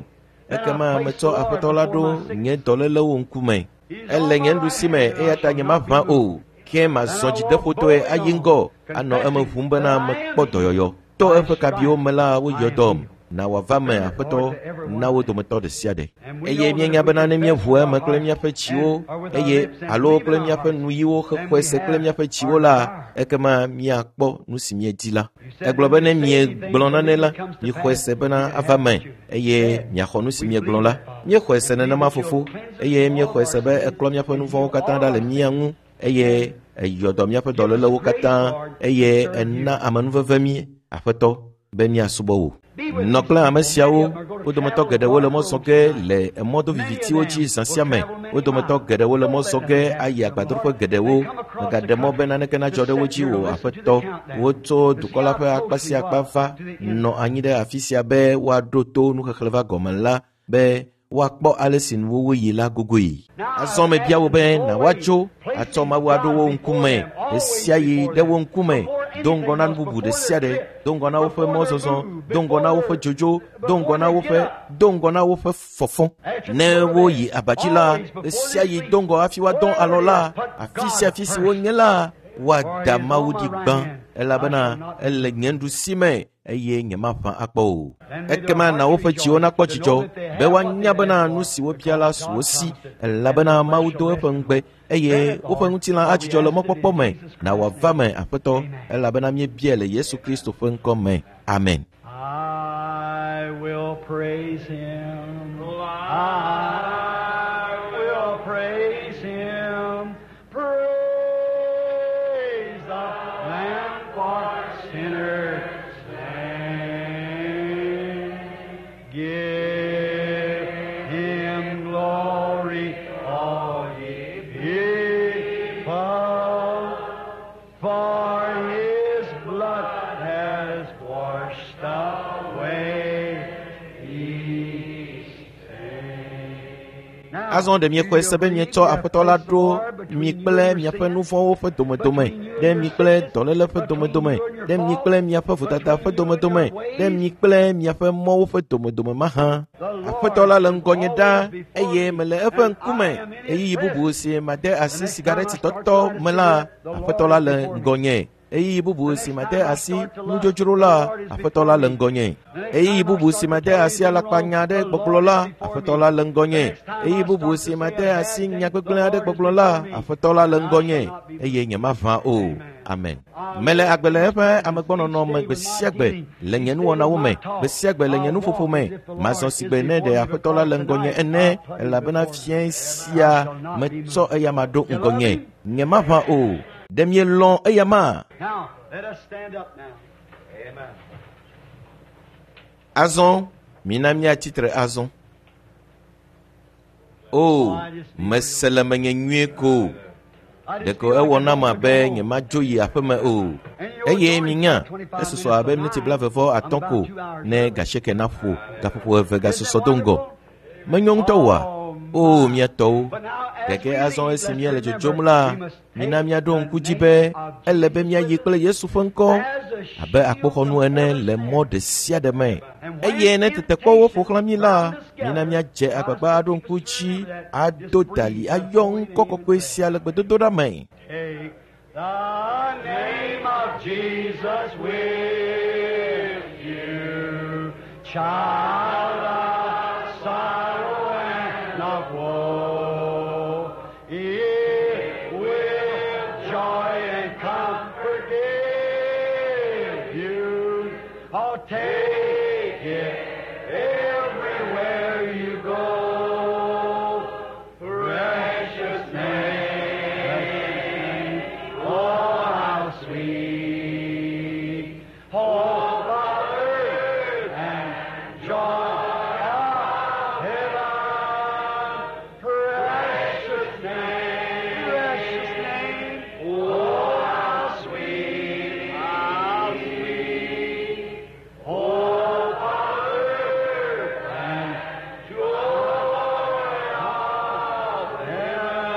Ekema metsɔ Aƒetɔ la ɖo nye dɔlélewo ŋkume. Ele nye nuɖusi me eya ta nyemaʋã o. Ke mazɔ dzideƒotɔe ayi ŋgɔ anɔ eme ʋum bena mekpɔ dɔyɔyɔ. To eƒe kabiwo me la woyɔ dɔm. Na wòava me Aƒetɔ na wo dometɔ ɖe sia ɖe. Eye míenya bena ne míeʋu eme kple míaƒe dziwo eye alo kple míaƒe nuyiwo hexɔe se kple míaƒe dziwo la, ekema míakpɔ nu si míedi la. Egblɔ be ne miegblɔ nane la, mixɔe se bena ava me eye miaxɔ nu si miegblɔ la. Míexɔe se nenema fofo eye míexɔe se be eklɔ míaƒe nu vɔ̃wo katã ɖa le mía ŋu eye eyɔ dɔ míaƒe dɔlélewo katã eye ena amenuveve mí Aƒetɔ be míasubɔ wò. Nɔ kple ame siawo, wo dometɔ geɖewo le mɔ zɔ ge le emɔ dovivitiwo dzi zã sia me. Wo dometɔ geɖewo le mɔ zɔ ge ayi agbadroƒe geɖewo. Mègaɖe mɔ be naneke nadzɔ ɖe wo dzi o, Aƒetɔ. Wotso dukɔ la ƒe akpa sia akpa va nɔ anyi ɖe afi sia be woaɖo to nuxexlẽ va gɔme la be woakpɔ ale si nuwuwu yi la gogoe. Azɔ mebia wò be na woatso atsɔ Mawu aɖo wo ŋkume ɖe sia ɣi ɖe wo ŋkume do ŋgɔ na nu bubu ɖe sia ɖe, do ŋgɔ na woƒe mɔzɔzɔ, do ŋgɔ na woƒe dzodzo, do ŋgɔ na woƒe do ŋgɔ na woƒe fɔfɔ. Ne woyi abadzi la, ɖe sia ɣi do ŋgɔ hafi woadɔ alɔ la, afi sia afi si wonye la, woada Mawu ɖi gbã elabena ele nye nuɖusi me eye nyemaʋã akpɔ o. Ekema na woƒe dziwo nakpɔ dzidzɔ be woanya bena nu si wobia la su wo si elabena Mawu do eƒe ŋugbe eye woƒe ŋutilã adzudzɔ le mɔkpɔkpɔ me. Na wòava me, Aƒetɔ, elabena míebiae le Yesu Kristo ƒe ŋkɔ me. Amen. I will praise him. I will praise him. Praise the Lamb for sinners slain. Give him glory, all ye people, for his blood has washed away his sin. Azɔ ɖe miexɔe se be mietsɔ Aƒetɔ la ɖo mi kple miaƒe nu vɔ̃wo ƒe domedome, ɖe mi kple dɔléle ƒe domedome, ɖe mi kple miaƒe vodada ƒe domedome, ɖe mi kple miaƒe mɔwo ƒe domedome mahã. Aƒetɔ la le ŋgɔnye ɖaa eye mele eƒe ŋkume. Ɣeyiɣi bubu si made asi sigaretitɔtɔ me la, Aƒetɔ la le ŋgɔnye. Ɣeyiɣi bubu si made asi nudzodzro la, Aƒetɔ la le ŋgɔnye. Ɣeyiɣi bubu si made asi alakpanya aɖe gbɔgblɔ la, Aƒetɔ la le ŋgɔnye. Ɣeyiɣi bubu si made asi nya gbegblẽ aɖe gbɔgblɔ la, Aƒetɔ la le ŋgɔnye eye nyemaʋã o. Amen. Mele agbe le eƒe amegbɔnɔnɔ me gbe sia gbe le nye nuwɔnawo me, gbe sia gbe le nye nuƒoƒo me. Mazɔ si gbe ne ɖe Aƒetɔ la le ŋgɔnye ene elabena fiẽ sia metsɔ eyama ɖo ŋgɔnye. Nyemaʋã o. Ɖe mielɔ̃ eyama? Now, let us stand up now. Amen. Azɔ mina míatsi tre azɔ. O, mese le menye nyuie ko. Ɖeko ewɔ nam abe nyemadzo yi aƒeme o. Eye minya, esusɔ abe miniti 35 ko ne gasieke naƒo gaƒoƒo 2 gasusɔ do ŋgɔ. Menyo ŋutɔ oa? O, mía tɔwo. Gake azɔ esi míele dzodzom la, mina míaɖo ŋku dzi be ele be míayi kple Yesu ƒe ŋkɔ abe akpoxɔnu ene le mɔ ɖe sia ɖe me. Eye ne tetekpɔwo ƒo xlã mí la, mina míadze agbagba aɖo ŋku dzi ado dali ayɔ ŋkɔ kɔkɔe sia le gbedodoɖa me. Take the name of Jesus with you, child of sorrow and of woe. It will joy and comfort give you. Oh, take it everywhere you go. Precious name, oh, how sweet. Hope of earth and joy of heaven. Precious name, precious name, oh, how sweet, how sweet. Hope of earth and joy of heaven.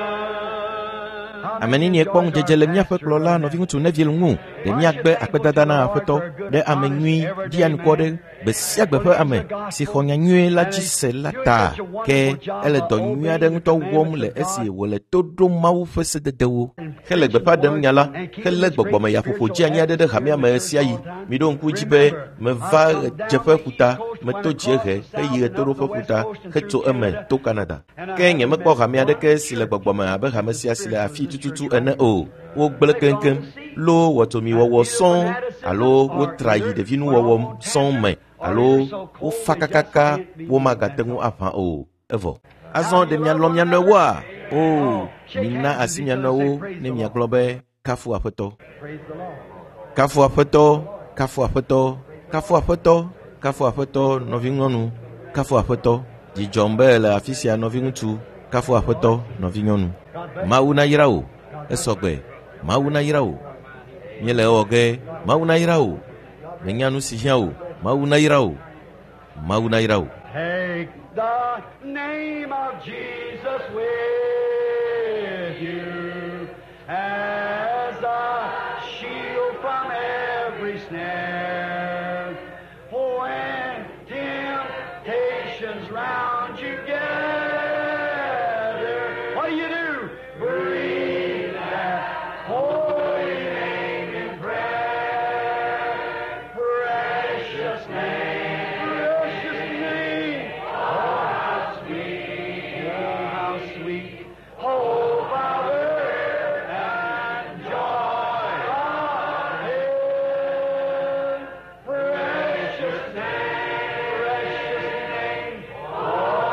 Ame nenie kpɔ ŋudzedze le míaƒe kplɔla nɔviŋutsu Neville ŋu ɖe míagbe akpedada na Aƒetɔ ɖe ame nyui ɖianukɔ ɖe gbe sia gbe ƒe ame si xɔ nya nyui la dzi se la ta. Ke ele dɔ nyui aɖe ŋutɔ wɔm le esi wòle to ɖom Mawu ƒe sededewo hele gbeƒã ɖem nya la helé gbɔgbɔmeyaƒoƒo dzeani aɖe ɖe hamea me ɣesiaɣi. Miɖo ŋku dzi be meva ɣedzeƒe ƒuta, meto dziehe heyi ɣetoɖoƒe ƒuta hetso eme to Canada. Ke nyemekpɔ hame aɖeke si le gbɔgbɔme abe hame sia si le afii tututu ene o. Wogblẽ keŋkeŋ, loo wɔtomiwɔwɔ sɔŋ alo wotra yi ɖevinuwɔwɔ sɔŋ me alo wofa kakaka womagate ŋu aʋã o. Evɔ. Azɔ ɖe mialɔ̃ mia nɔewoa? O, mina asi mia nɔewo ne miagblɔ be kafu Aƒetɔ. Praise the Lord. Kafu Aƒetɔ, kafu Aƒetɔ, kafu Aƒetɔ, kafu Aƒetɔ, nɔvinyɔnu, kafu Aƒetɔ. Dzi dzɔm be le afi sia nɔviŋutsu, kafu Aƒetɔ, nɔvinyɔnu. Mawu nayra wò, esɔgbe. Mawu nayra wò. Míele ewɔ ge. Mawu nayra wò. Menya nu si hiã wò. Mawu nayra wò. Mawu nayra wò. Take the name of Jesus with you as a shield from every snare. When temptations round you gather, what do you do? Breathe that holy name in prayer. Precious name, precious name. Oh, how sweet, oh, how sweet. Hope of earth and joy of heaven. Precious name, precious name. Oh,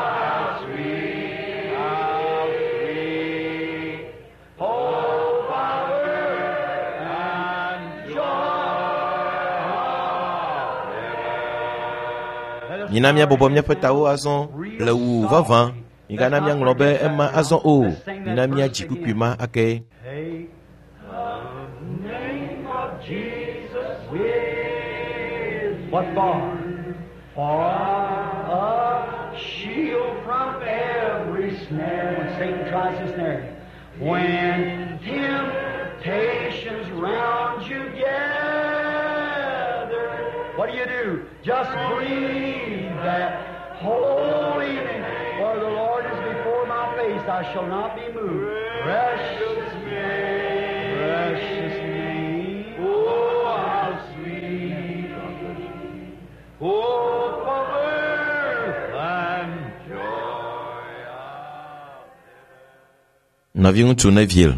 how sweet, how sweet. Hope of earth and joy of heaven. Mina míabɔbɔ míaƒe tawo azɔ le wu vavã. Migana míaŋlɔ be ema azɔ o. Mina míadzi kpukpui ma ake. Take the name of Jesus with what for? For a shield from every snare when Satan tries to snare you. When temptations round you gather, what do you do? Just breathe that holy name. For the Lord is before my face, I shall not be moved. Precious name, precious name. Oh, how sweet. Oh, for earth and joy. Nɔviŋutsu Neville.